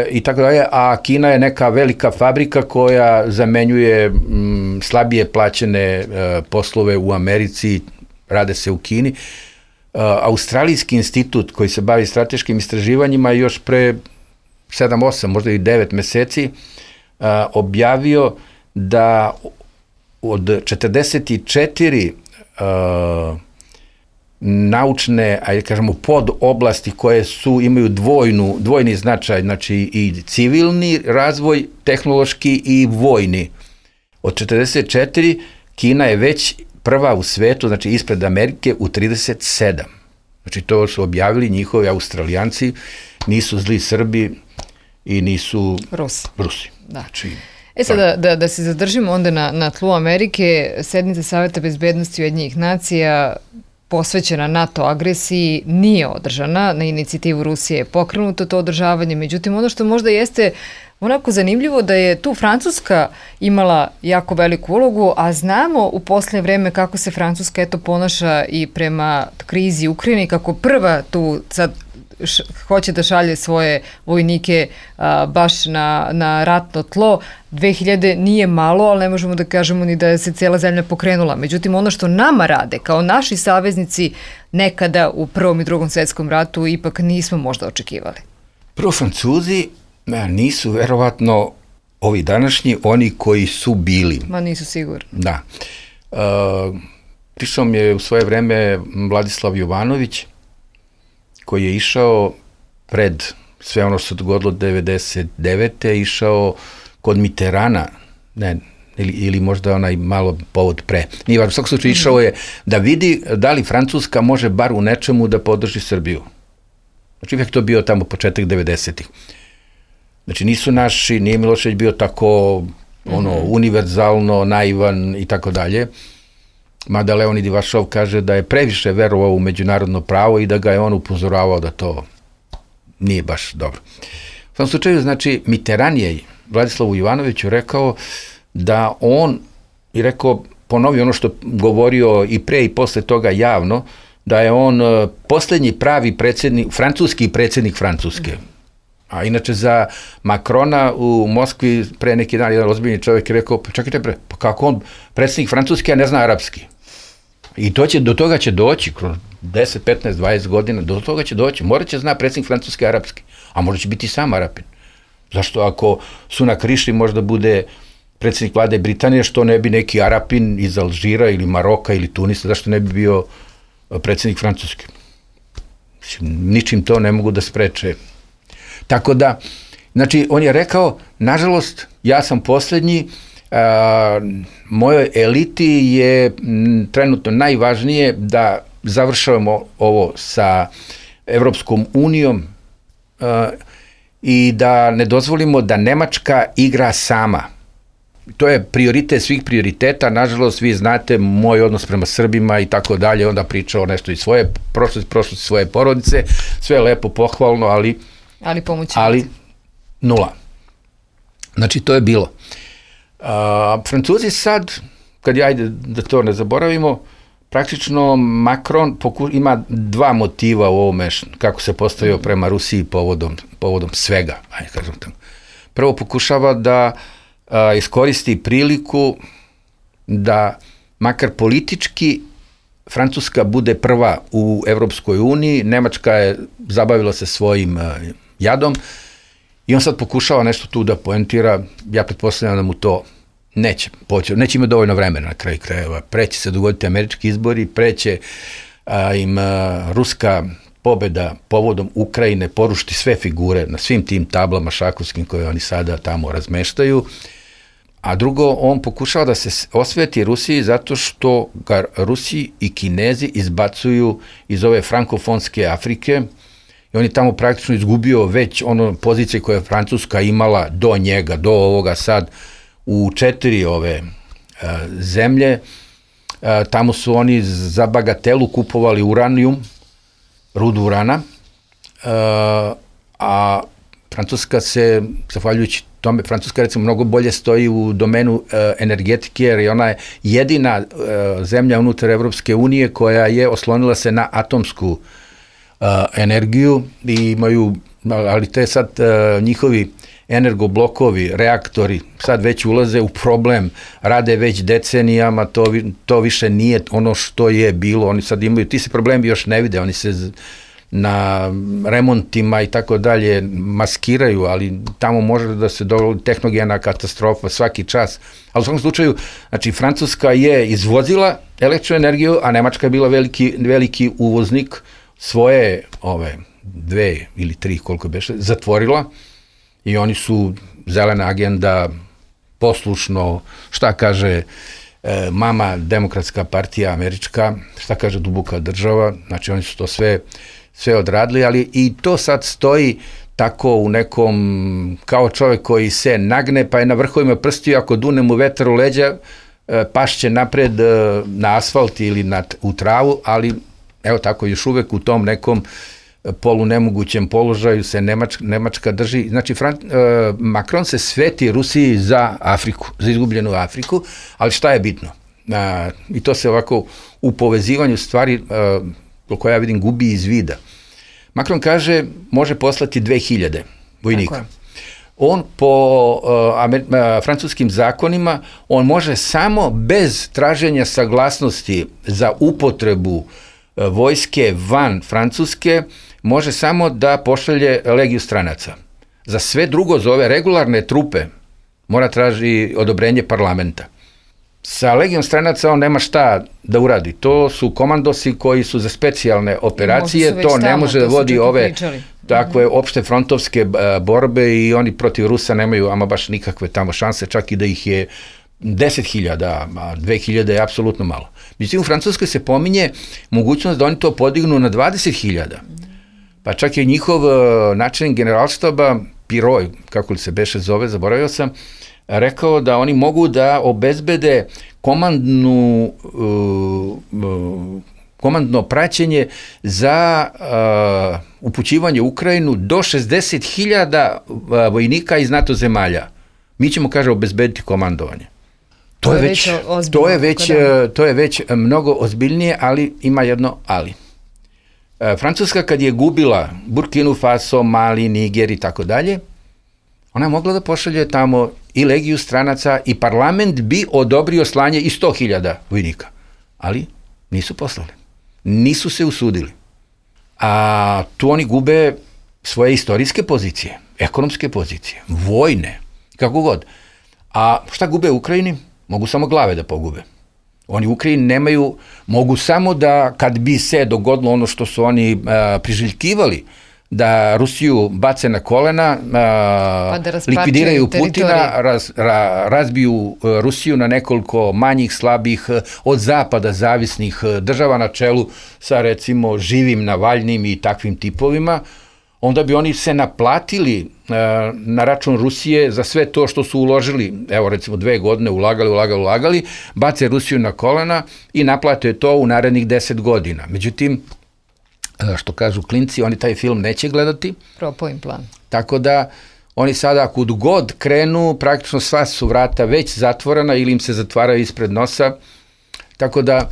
[SPEAKER 4] i tako dalje, a Kina je neka velika fabrika koja zamenjuje slabije plaćene poslove u Americi, rade se u Kini. Australijski institut koji se bavi strateškim istraživanjima još pre 7-8, možda i 9 meseci objavio da od 44 naučne, ajde kažemo, pod oblasti koje imaju dvojni značaj, znači i civilni razvoj, tehnološki i vojni. Od 44 Kina je već prva u svetu, znači ispred Amerike u 37. Znači to su objavili njihovi Australijanci, nisu zli Srbi i nisu Rusi.
[SPEAKER 2] Da. Znači, sada da se zadržimo onda na tlu Amerike, sednica Saveta bezbednosti Ujedinjenih nacija posvećena NATO agresiji nije održana, na inicijativu Rusije je pokrenuto to održavanje, međutim ono što možda jeste onako zanimljivo da je tu Francuska imala jako veliku ulogu, a znamo u posljednje vreme kako se Francuska ponaša i prema krizi Ukrajine i kako prva tu sad hoće da šalje svoje vojnike baš na ratno tlo. 2000 nije malo, ali ne možemo da kažemo ni da se cijela zemlja pokrenula. Međutim, ono što nama rade, kao naši saveznici, nekada u Prvom i Drugom svjetskom ratu ipak nismo možda očekivali.
[SPEAKER 4] Prvo, Francuzi nisu verovatno ovi današnji, oni koji su bili.
[SPEAKER 2] Ma nisu sigurni.
[SPEAKER 4] Da. Prišao mi je u svoje vreme Vladislav Jovanović, koji je išao pred sve ono što se dogodilo 99. išao kod Mitterana, ili možda onaj malo povod pre. Nije važno, u svakom slučaju išao je da vidi da li Francuska može bar u nečemu da podrži Srbiju. Znači uvijek to bio tamo početak 90-ih. Znači nisu naši, nije Milošević bio tako univerzalno, naivan i tako dalje. Mada Leonid Ivašov kaže da je previše verovao u međunarodno pravo i da ga je on upozoravao da to nije baš dobro. U tom slučaju, znači, Mitterrand je Vladislavu Jovanoviću rekao da on, i rekao, ponovio ono što govorio i pre i posle toga javno, da je on posljednji pravi francuski predsjednik Francuske. A inače za Macrona u Moskvi pre neki dan jedan ozbiljni čovjek je rekao, pa čekajte pa kako on predsjednik Francuske, a ne zna arapski. I do toga će doći, kroz 10, 15, 20 godina, do toga će doći. Morat će zna predsjednik Francuske arapski, a možda će biti sam Arapin. Zašto ako Sunak Rišli možda bude predsjednik vlade Britanije, što ne bi neki Arapin iz Alžira ili Maroka ili Tunisa, zašto ne bi bio predsjednik Francuske? Ničim to ne mogu da spreče. Tako da, znači, on je rekao, nažalost, ja sam posljednji, mojoj eliti je trenutno najvažnije da završavamo ovo sa Evropskom unijom i da ne dozvolimo da Nemačka igra sama. To je prioritet svih prioriteta, nažalost, vi znate moj odnos prema Srbima i tako dalje, onda pričao nešto iz svoje prošlosti svoje porodice, sve lepo, pohvalno, ali nula. Znači, to je bilo. Francuzi sad, kad ajde da to ne zaboravimo, praktično Macron ima dva motiva u ovome, kako se postavio prema Rusiji povodom svega. Ajde, kažem tako. Prvo pokušava da iskoristi priliku da makar politički Francuska bude prva u Evropskoj uniji, Nemačka je zabavila se svojim jadom i on sad pokušava nešto tu da poentira, ja pretpostavljam da mu to neće imati dovoljno vremena na kraju krajeva, preće se dogoditi američki izbori, preće im ruska pobeda povodom Ukrajine porušiti sve figure na svim tim tablama šahovskim koje oni sada tamo razmeštaju. A drugo, on pokušava da se osveti Rusiji zato što ga Rusi i Kinezi izbacuju iz ove frankofonske Afrike i on je tamo praktično izgubio već ono pozicije koje je Francuska imala do njega, do ovoga sad u 4 ove zemlje. Tamo su oni za bagatelu kupovali uranijum, rudu urana, a Francuska se, zahvaljujući tome, Francuska recimo mnogo bolje stoji u domenu energetike, jer ona je jedina zemlja unutar Evropske unije koja je oslonila se na atomsku energiju i imaju, ali te sad njihovi energoblokovi, reaktori sad već ulaze u problem, rade već decenijama, to više nije ono što je bilo, oni sad imaju, ti se problemi još ne vide, oni se na remontima i tako dalje maskiraju, ali tamo može da se dogodi tehnogena katastrofa svaki čas. Ali u svakom slučaju, znači Francuska je izvozila električnu energiju, a Nemačka je bila veliki uvoznik, svoje 2 ili 3 koliko beše, zatvorila i oni su zelena agenda, poslušno, šta kaže mama demokratska partija američka, šta kaže duboka država, znači oni su to sve odradili, ali i to sad stoji tako u nekom, kao čovjek koji se nagne, pa je na vrhovima prstiju, ako dune mu vetar u leđa, pašće napred na asfalt ili u travu, ali evo tako još uvek u tom nekom polunemogućem položaju se Nemačka drži. Znači, Macron se sveti Rusiji za Afriku, za izgubljenu Afriku, ali šta je bitno? I to se ovako u povezivanju stvari koje ja vidim gubi iz vida. Macron kaže može poslati 2000 vojnika. On po francuskim zakonima, on može samo bez traženja saglasnosti za upotrebu vojske van Francuske, može samo da pošalje legiju stranaca. Za sve drugo, za ove regularne trupe, mora traži odobrenje parlamenta. Sa legijom stranaca on nema šta da uradi. To su komandosi koji su za specijalne operacije, to ne može da vodi ove takve opšte frontovske borbe i oni protiv Rusa nemaju ama baš nikakve tamo šanse, čak i da ih je 10.000, a 2.000 je apsolutno malo. Međutim, u Francuskoj se pominje mogućnost da oni to podignu na 20.000. Pa čak je njihov načelnik generalštaba, Piroj, kako li se beše zove, zaboravio sam, rekao da oni mogu da obezbede komandno praćenje za upućivanje u Ukrajinu do 60.000 vojnika iz NATO zemalja. Mi ćemo, kaže, obezbediti komandovanje. To je već mnogo ozbiljnije, ali ima jedno ali. Francuska kad je gubila Burkinu Faso, Mali, Niger i tako dalje, ona je mogla da pošalje tamo i legiju stranaca i parlament bi odobrio slanje i 100.000 vojnika. Ali nisu poslali. Nisu se usudili. A tu oni gube svoje istorijske pozicije, ekonomske pozicije, vojne, kako god. A šta gube u Ukrajini? Mogu samo glave da pogube. Oni u Ukrajini nemaju, mogu samo da, kad bi se dogodilo ono što su oni priželjkivali, da Rusiju bace na kolena, likvidiraju Putina, razbiju Rusiju na nekoliko manjih, slabih, od zapada zavisnih država na čelu sa recimo živim Navalnim i takvim tipovima, onda bi oni se naplatili na račun Rusije za sve to što su uložili, evo recimo 2 godine ulagali, bace Rusiju na kolena i naplate to u narednih 10 godina. Međutim, što kažu klinci, oni taj film neće gledati.
[SPEAKER 2] Propao im plan. Tako
[SPEAKER 4] da oni sada kud god krenu, praktično sva su vrata već zatvorena ili im se zatvaraju ispred nosa. Tako da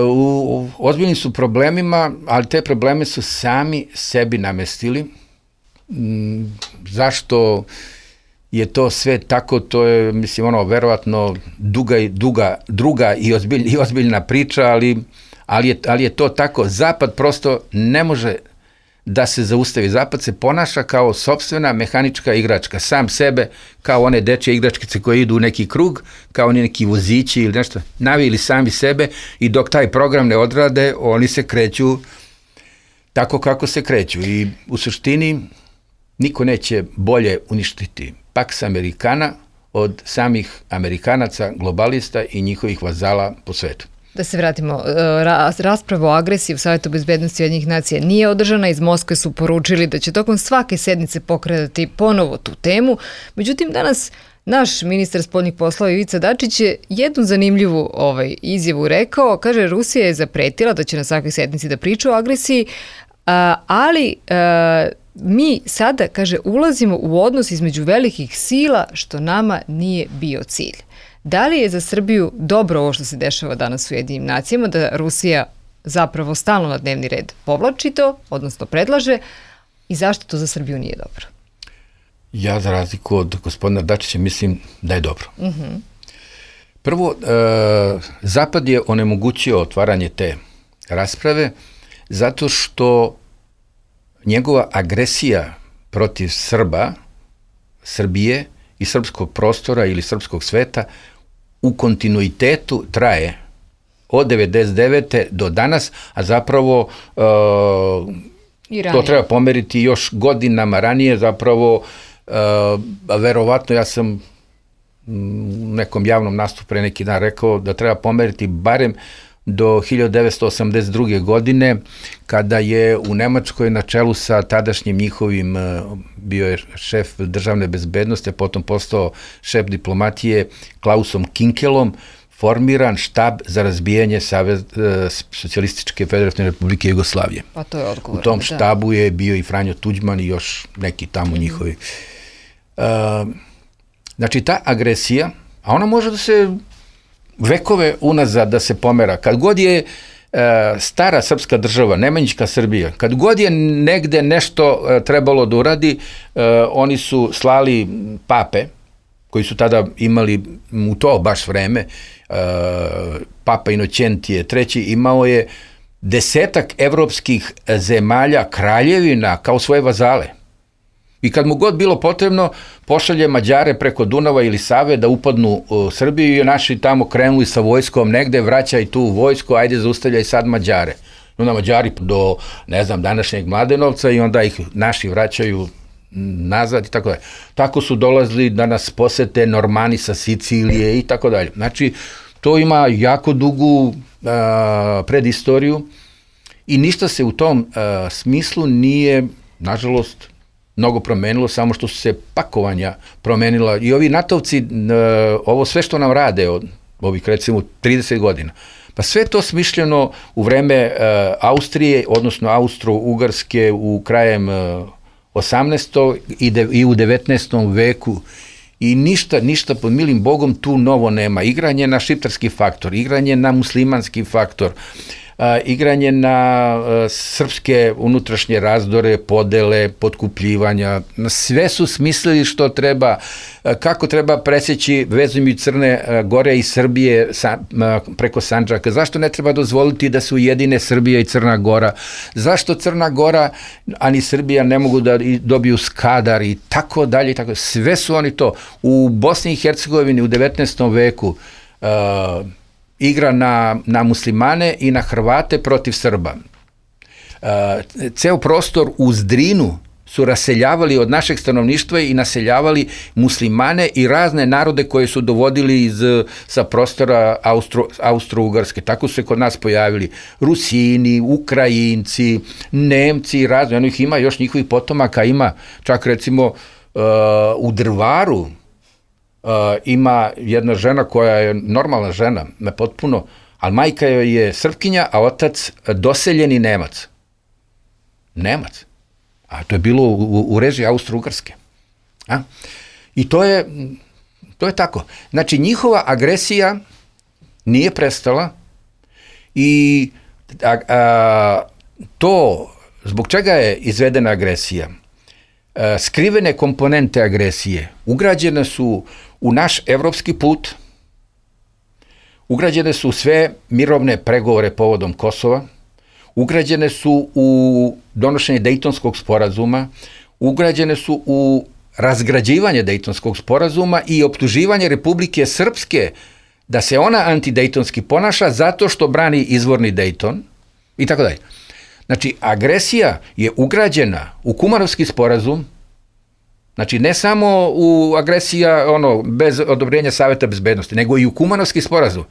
[SPEAKER 4] u ozbiljnim su problemima, ali te probleme su sami sebi namestili. Zašto je to sve tako, to je, mislim, ono, verovatno druga i ozbiljna priča, ali je to tako. Zapad prosto ne može da se zaustavi. Zapad se ponaša kao sopstvena mehanička igračka, sam sebe, kao one dečje igračkice koje idu u neki krug, kao oni neki vozići ili nešto, navili sami sebe i dok taj program ne odrade, oni se kreću tako kako se kreću. I u suštini niko neće bolje uništiti Pax Americana od samih Amerikanaca, globalista i njihovih vazala po svetu.
[SPEAKER 2] Da se vratimo, rasprava o agresiji u Savjetu bezbednosti Ujedinjenih nacija nije održana. Iz Moskve su poručili da će tokom svake sednice pokretati ponovo tu temu. Međutim, danas naš ministar spoljnih poslova Ivica Dačić je jednu zanimljivu izjavu rekao. Kaže, Rusija je zapretila da će na svakoj sednici da priča o agresiji, ali mi sada, kaže, ulazimo u odnos između velikih sila, što nama nije bio cilj. Da li je za Srbiju dobro ovo što se dešava danas u Ujedinjenim nacijama, da Rusija zapravo stalno na dnevni red povlači to, odnosno predlaže, i zašto to za Srbiju nije dobro?
[SPEAKER 4] Ja, za razliku od gospodina Dačića, mislim da je dobro. Prvo, Zapad je onemogućio otvaranje te rasprave zato što njegova agresija protiv Srba, Srbije i srpskog prostora ili srpskog sveta u kontinuitetu traje od 99. do danas, a zapravo to treba pomeriti još godinama ranije, zapravo verovatno ja sam u nekom javnom nastupu pre neki dan rekao da treba pomeriti barem do 1982. godine, kada je u Nemačkoj na čelu sa tadašnjim njihovim, bio je šef državne bezbednosti, a potom postao šef diplomatije Klausom Kinkelom, formiran štab za razbijanje Socijalističke federativne republike Jugoslavije.
[SPEAKER 2] Pa to je odgovorno.
[SPEAKER 4] U tom štabu je bio i Franjo Tuđman i još neki tamo njihovi. Znači, ta agresija, a ona može da se vekove unazad da se pomera. Kad god je stara srpska država, Nemanjićka Srbija, kad god je negde nešto trebalo da uradi, oni su slali pape, koji su tada imali u to baš vreme, Papa Inoćentije III. Imao je 10 evropskih zemalja, kraljevina, kao svoje vazale. I kad mu god bilo potrebno, pošalje Mađare preko Dunava ili Save da upadnu u Srbiju i naši tamo krenuli sa vojskom negde, vraćaj tu vojsku, ajde zaustavljaj sad Mađare. Onda Mađari do, ne znam, današnjeg Mladenovca i onda ih naši vraćaju nazad i tako dalje. Tako su dolazili da nas posete Normani sa Sicilije i tako dalje. Znači, to ima jako dugu predistoriju i ništa se u tom smislu nije, nažalost, mnogo promenilo, samo što su se pakovanja promenila. I ovi natovci, ovo sve što nam rade od ovih, recimo, 30 godina, pa sve to smišljeno u vreme Austrije, odnosno Austro-Ugarske u krajem 18. i u 19. veku. I ništa pod milim Bogom tu novo nema. Igranje na šiptarski faktor, igranje na muslimanski faktor, igranje na srpske unutrašnje razdore, podele, potkupljivanja. Sve su smislili što treba, kako treba preseći vezujući Crne Gore i Srbije preko Sandžaka. Zašto ne treba dozvoliti da se ujedine Srbija i Crna Gora? Zašto Crna Gora, a ni Srbija ne mogu da dobiju Skadar i tako dalje. Sve su oni to. U Bosni i Hercegovini u 19. veku igra na muslimane i na Hrvate protiv Srba. Ceo prostor uz Drinu su raseljavali od našeg stanovništva i naseljavali muslimane i razne narode koje su dovodili sa prostora Austro-Ugarske. Tako su se kod nas pojavili Rusini, Ukrajinci, Nemci i razne. Ono ih ima, još njihovih potomaka ima. Čak recimo u Drvaru ima jedna žena koja je normalna žena, potpuno, ali majka joj je Srpkinja, a otac doseljeni Nemac. Nemac. A to je bilo u režiji Austro-Ugarske. I to je tako. Znači, njihova agresija nije prestala i to, zbog čega je izvedena agresija? skrivene komponente agresije ugrađene su u naš evropski put, ugrađene su sve mirovne pregovore povodom Kosova, ugrađene su u donošenje Dejtonskog sporazuma, ugrađene su u razgrađivanje Dejtonskog sporazuma i optuživanje Republike Srpske da se ona antidejtonski ponaša zato što brani izvorni Dejton i tako dalje. Znači, agresija je ugrađena u Kumanovski sporazum, znači ne samo u agresija bez odobrenja Saveta bezbednosti, nego i u Kumanovski sporazum.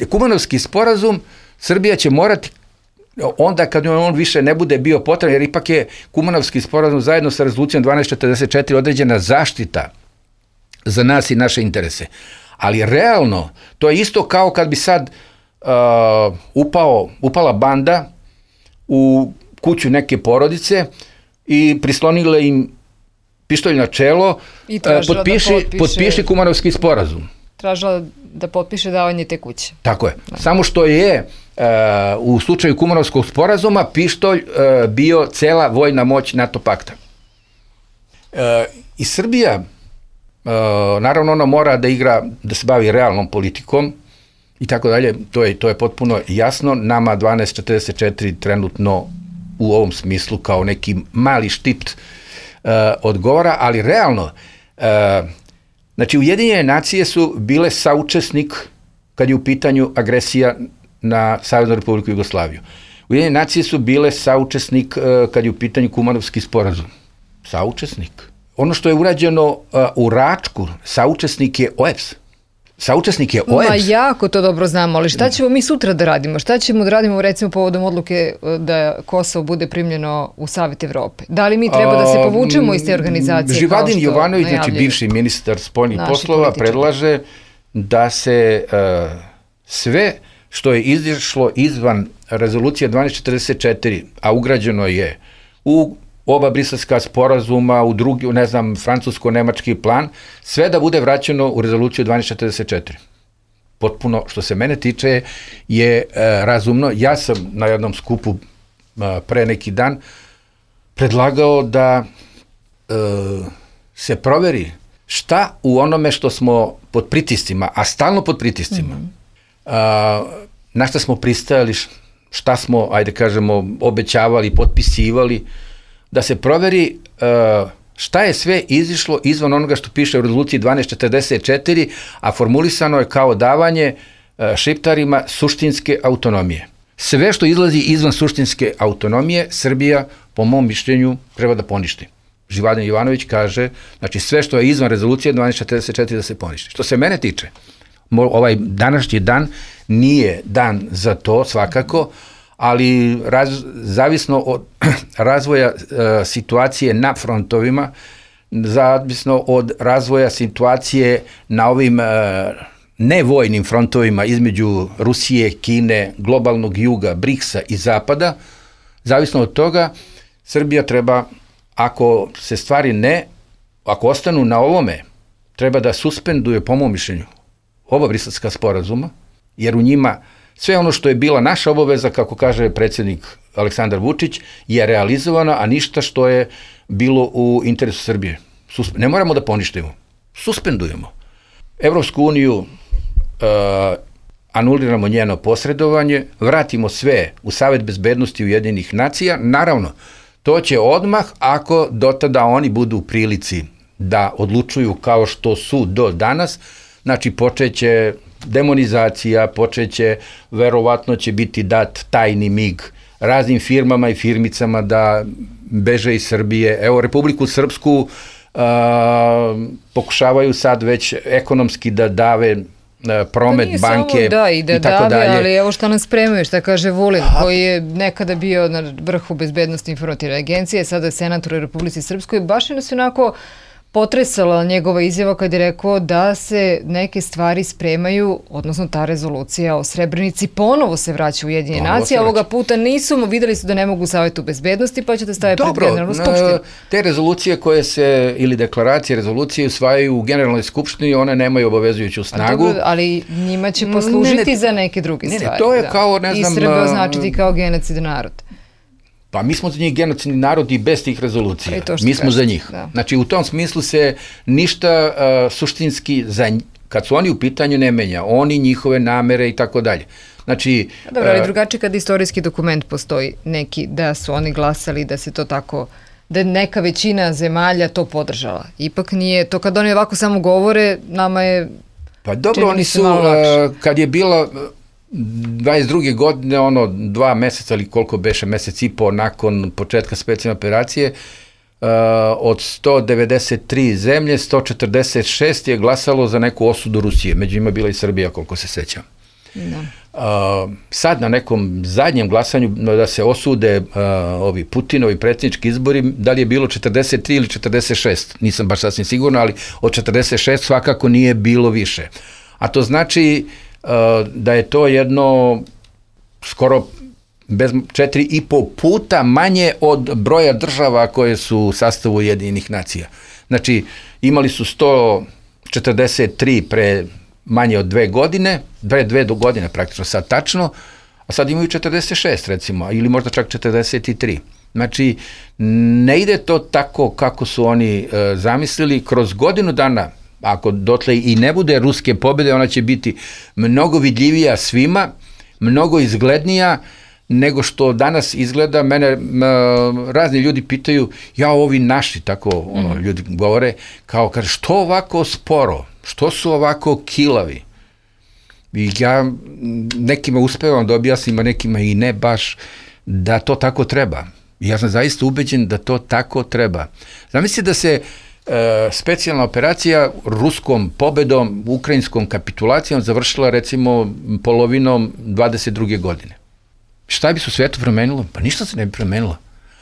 [SPEAKER 4] Kumanovski sporazum Srbija će morati onda kad on više ne bude bio potreban, jer ipak je Kumanovski sporazum zajedno sa rezolucijom 1244 određena zaštita za nas i naše interese. Ali realno, to je isto kao kad bi sad upala banda u kuću neke porodice i prislonila im pištolj na čelo, potpiši Kumanovski sporazum.
[SPEAKER 2] Tražila da potpiše davanje te kuće.
[SPEAKER 4] Tako je. Da. Samo što je u slučaju Kumanovskog sporazuma pištolj bio cela vojna moć NATO pakta. I Srbija, naravno ona mora da igra, da se bavi realnom politikom i tako dalje, to je potpuno jasno. Nama 1244 trenutno u ovom smislu kao neki mali štipt odgovara, ali realno, znači Ujedinjene nacije su bile saučesnik kad je u pitanju agresija na Saveznu Republiku Jugoslaviju. Ujedinjene nacije su bile saučesnik kad je u pitanju Kumanovski sporazum. Saučesnik. Ono što je urađeno u Račku, saučesnik je OEBS. Saučesnik je OEBS.
[SPEAKER 2] Ma jako to dobro znamo, ali šta ćemo mi sutra da radimo? Šta ćemo da radimo recimo povodom odluke da Kosovo bude primljeno u Savet Evrope? Da li mi treba da se povučemo iz te organizacije?
[SPEAKER 4] Živadin Jovanović, znači bivši ministar spoljnih poslova, predlaže da se sve što je izišlo izvan rezolucije 1244, a ugrađeno je u oba briselska sporazuma, u drugi, ne znam, francusko-nemački plan, sve da bude vraćeno u rezoluciju 1244. Potpuno, što se mene tiče, je razumno. Ja sam na jednom skupu pre neki dan predlagao da se proveri šta u onome što smo pod pritiscima, a stalno pod pritiscima, na šta smo pristajali, šta smo, ajde kažemo, obećavali, potpisivali, da se proveri šta je sve izišlo izvan onoga što piše u rezoluciji 1244, a formulisano je kao davanje Šiptarima suštinske autonomije. Sve što izlazi izvan suštinske autonomije, Srbija, po mom mišljenju, treba da poništi. Živadin Jovanović kaže, znači sve što je izvan rezolucije 1244 da se poništi. Što se mene tiče, ovaj današnji dan nije dan za to svakako, ali zavisno od razvoja situacije na frontovima, zavisno od razvoja situacije na ovim nevojnim frontovima između Rusije, Kine, globalnog juga, BRICS-a i Zapada, zavisno od toga, Srbija treba, ako se stvari ako ostanu na ovome, treba da suspenduje, po mom mišljenju, oba briselska sporazuma, jer u njima sve ono što je bila naša obaveza, kako kaže predsjednik Aleksandar Vučić, je realizovano, a ništa što je bilo u interesu Srbije. Ne moramo da poništimo. Suspendujemo. Evropsku uniju anuliramo njeno posredovanje, vratimo sve u Savet bezbednosti Ujedinjenih nacija. Naravno, to će odmah ako do tada oni budu u prilici da odlučuju kao što su do danas, znači počeće demonizacija, počeće, verovatno će biti dat tajni mig raznim firmama i firmicama da beže iz Srbije. Evo, Republiku Srpsku pokušavaju sad već ekonomski da dave promet, banke i tako dalje.
[SPEAKER 2] Ali evo šta nas spremaju, šta kaže Vulin, koji je nekada bio na vrhu bezbednosti informativne agencije, sada je senator u Republici Srpskoj, baš je nas onako potresala njegova izjava kad je rekao da se neke stvari spremaju, odnosno ta rezolucija o Srebrenici ponovo se vraća u Ujedinjene nacije, a ovoga puta videli su da ne mogu u Savetu bezbednosti, pa će da stave pred Generalnu skupštinu.
[SPEAKER 4] Te rezolucije koje se, ili deklaracije, rezolucije usvajaju u Generalnoj skupštini, one nemaju obavezujuću snagu.
[SPEAKER 2] Ali njima će poslužiti za neke druge stvari.
[SPEAKER 4] To je kao, ne znam...
[SPEAKER 2] I Srbe označiti kao genocid narod.
[SPEAKER 4] Pa mi smo za njih genocidni narod i bez tih rezolucija. Mi smo za njih. Da. Znači, u tom smislu se ništa suštinski, kad su oni u pitanju, ne menja. Oni, njihove namere i tako dalje. Znači...
[SPEAKER 2] Dobro, ali drugačije kad istorijski dokument postoji neki, da su oni glasali, da se to tako, da je neka većina zemalja to podržala. Ipak nije, to kad oni ovako samo govore, nama je...
[SPEAKER 4] Pa dobro, oni su, kad je bilo 22. godine, 2 meseca ili koliko beše, mesec i po nakon početka specijalne operacije, od 193 zemlje, 146 je glasalo za neku osudu Rusije. Među njima bila i Srbija, koliko se sećam. Da. Sad na nekom zadnjem glasanju da se osude ovi Putinovi predsjednički izbori, da li je bilo 43 ili 46, nisam baš sasvim sigurno, ali od 46 svakako nije bilo više. A to znači da je to jedno skoro 4,5 puta manje od broja država koje su u sastavu Ujedinjenih nacija. Znači, imali su 143 pre manje od 2 godine, 2 godine praktično sad tačno, a sad imaju 46 recimo, ili možda čak 43. Znači, ne ide to tako kako su oni zamislili. Kroz godinu dana, ako dotle i ne bude ruske pobjede, ona će biti mnogo vidljivija svima, mnogo izglednija nego što danas izgleda. Mene razni ljudi pitaju, ovi naši, tako ljudi govore, kao kaže, što ovako sporo, što su ovako kilavi? I ja nekima uspevam da objasnim, a nekima i ne baš, da to tako treba. I ja sam zaista ubeđen da to tako treba. Zamisli da se specijalna operacija ruskom pobedom, ukrajinskom kapitulacijom završila recimo polovinom 22. godine. Šta bi se u svijetu promenilo? Pa ništa se ne bi promenilo.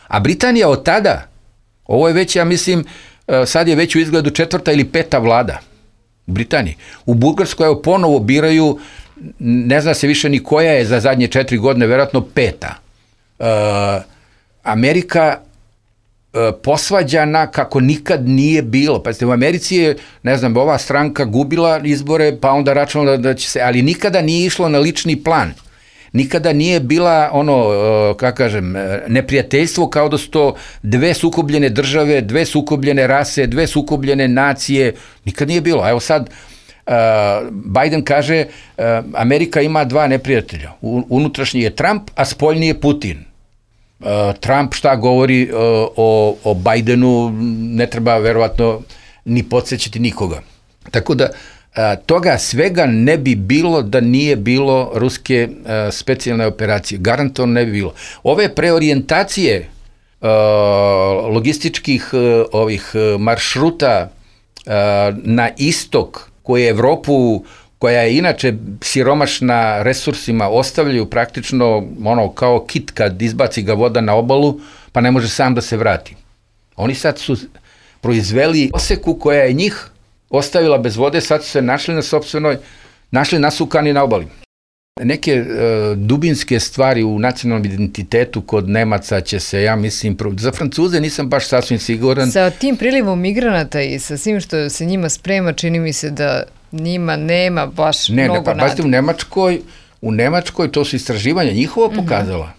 [SPEAKER 4] A Britanija od tada, ovo je već, ja mislim, sad je već u izgledu 4. ili 5. vlada u Britaniji. U Bugarskoj evo ponovo biraju, ne zna se više ni koja je za zadnje 4 godine, vjerojatno 5. Amerika posvađana kako nikad nije bilo. Pazite, u Americi je, ne znam, ova stranka gubila izbore, pa onda računala da će se, ali nikada nije išlo na lični plan. Nikada nije bila neprijateljstvo kao da su to 2 sukobljene države, 2 sukobljene rase, 2 sukobljene nacije. Nikad nije bilo. A evo sad Biden kaže Amerika ima 2 neprijatelja. Unutrašnji je Trump, a spoljni je Putin. Trump šta govori o Bidenu ne treba verovatno ni podsjećati nikoga. Tako da toga svega ne bi bilo da nije bilo ruske specijalne operacije. Garantovano ne bi bilo. Ove preorijentacije logističkih maršruta na istok koje Evropu, koja je inače siromašna resursima, ostavljaju praktično kao kit kad izbaci ga voda na obalu, pa ne može sam da se vrati. Oni sad su proizveli oseku koja je njih ostavila bez vode, sad su se našli nasukani na obali. Neke dubinske stvari u nacionalnom identitetu kod Nemaca će se, ja mislim, za Francuze nisam baš sasvim siguran.
[SPEAKER 2] Sa tim prilivom migranata i sa svim što se njima sprema, čini mi se da njima nema baš mnogo nada.
[SPEAKER 4] Pazite, u Nemačkoj to su istraživanja njihova pokazala.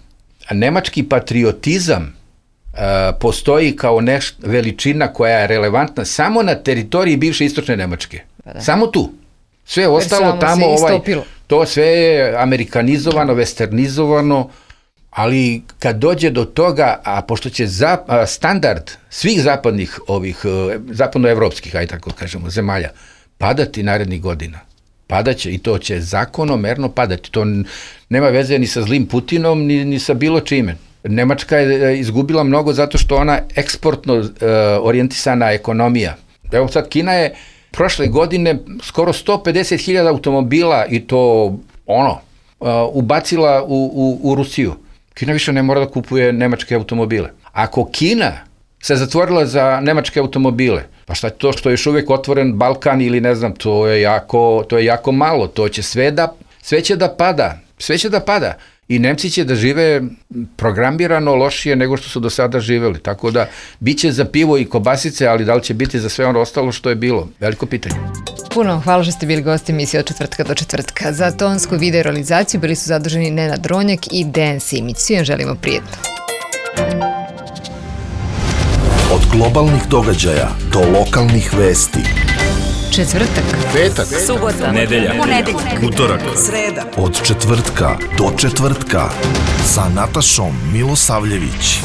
[SPEAKER 4] A nemački patriotizam postoji kao veličina koja je relevantna samo na teritoriji bivše istočne Nemačke. Samo tu. Sve ostalo tamo, to sve je amerikanizovano, westernizovano, ali kad dođe do toga, a pošto će standard svih zapadnih zapadnoevropskih, ajde tako kažemo, zemalja, padati narednih godina. Padaće i to će zakonomerno padati. To nema veze ni sa zlim Putinom, ni sa bilo čime. Nemačka je izgubila mnogo zato što ona eksportno orijentisana ekonomija. Evo sad Kina je prošle godine skoro 150.000 automobila i to ubacila u Rusiju. Kina više ne mora da kupuje nemačke automobile. Ako Kina se zatvorila za nemačke automobile, pa šta je to što je još uvijek otvoren Balkan ili ne znam, to je jako malo, to će sve će da pada. I Nemci će da žive programirano lošije nego što su do sada živeli. Tako da, bit će za pivo i kobasice, ali da li će biti za sve ono ostalo što je bilo? Veliko pitanje.
[SPEAKER 2] Puno hvala što ste bili gosti emisije od četvrtka do četvrtka. Za tonsku video realizaciju bili su zaduženi Nenad Ronjak i Dejan Simić. Svim želimo prijetno.
[SPEAKER 1] Od globalnih događaja do lokalnih vesti.
[SPEAKER 2] Četvrtak,
[SPEAKER 1] Petak,
[SPEAKER 3] subota, nedelja, ponedeljak, utorak,
[SPEAKER 1] sreda. Od četvrtka do četvrtka sa Natašom Milosavljević.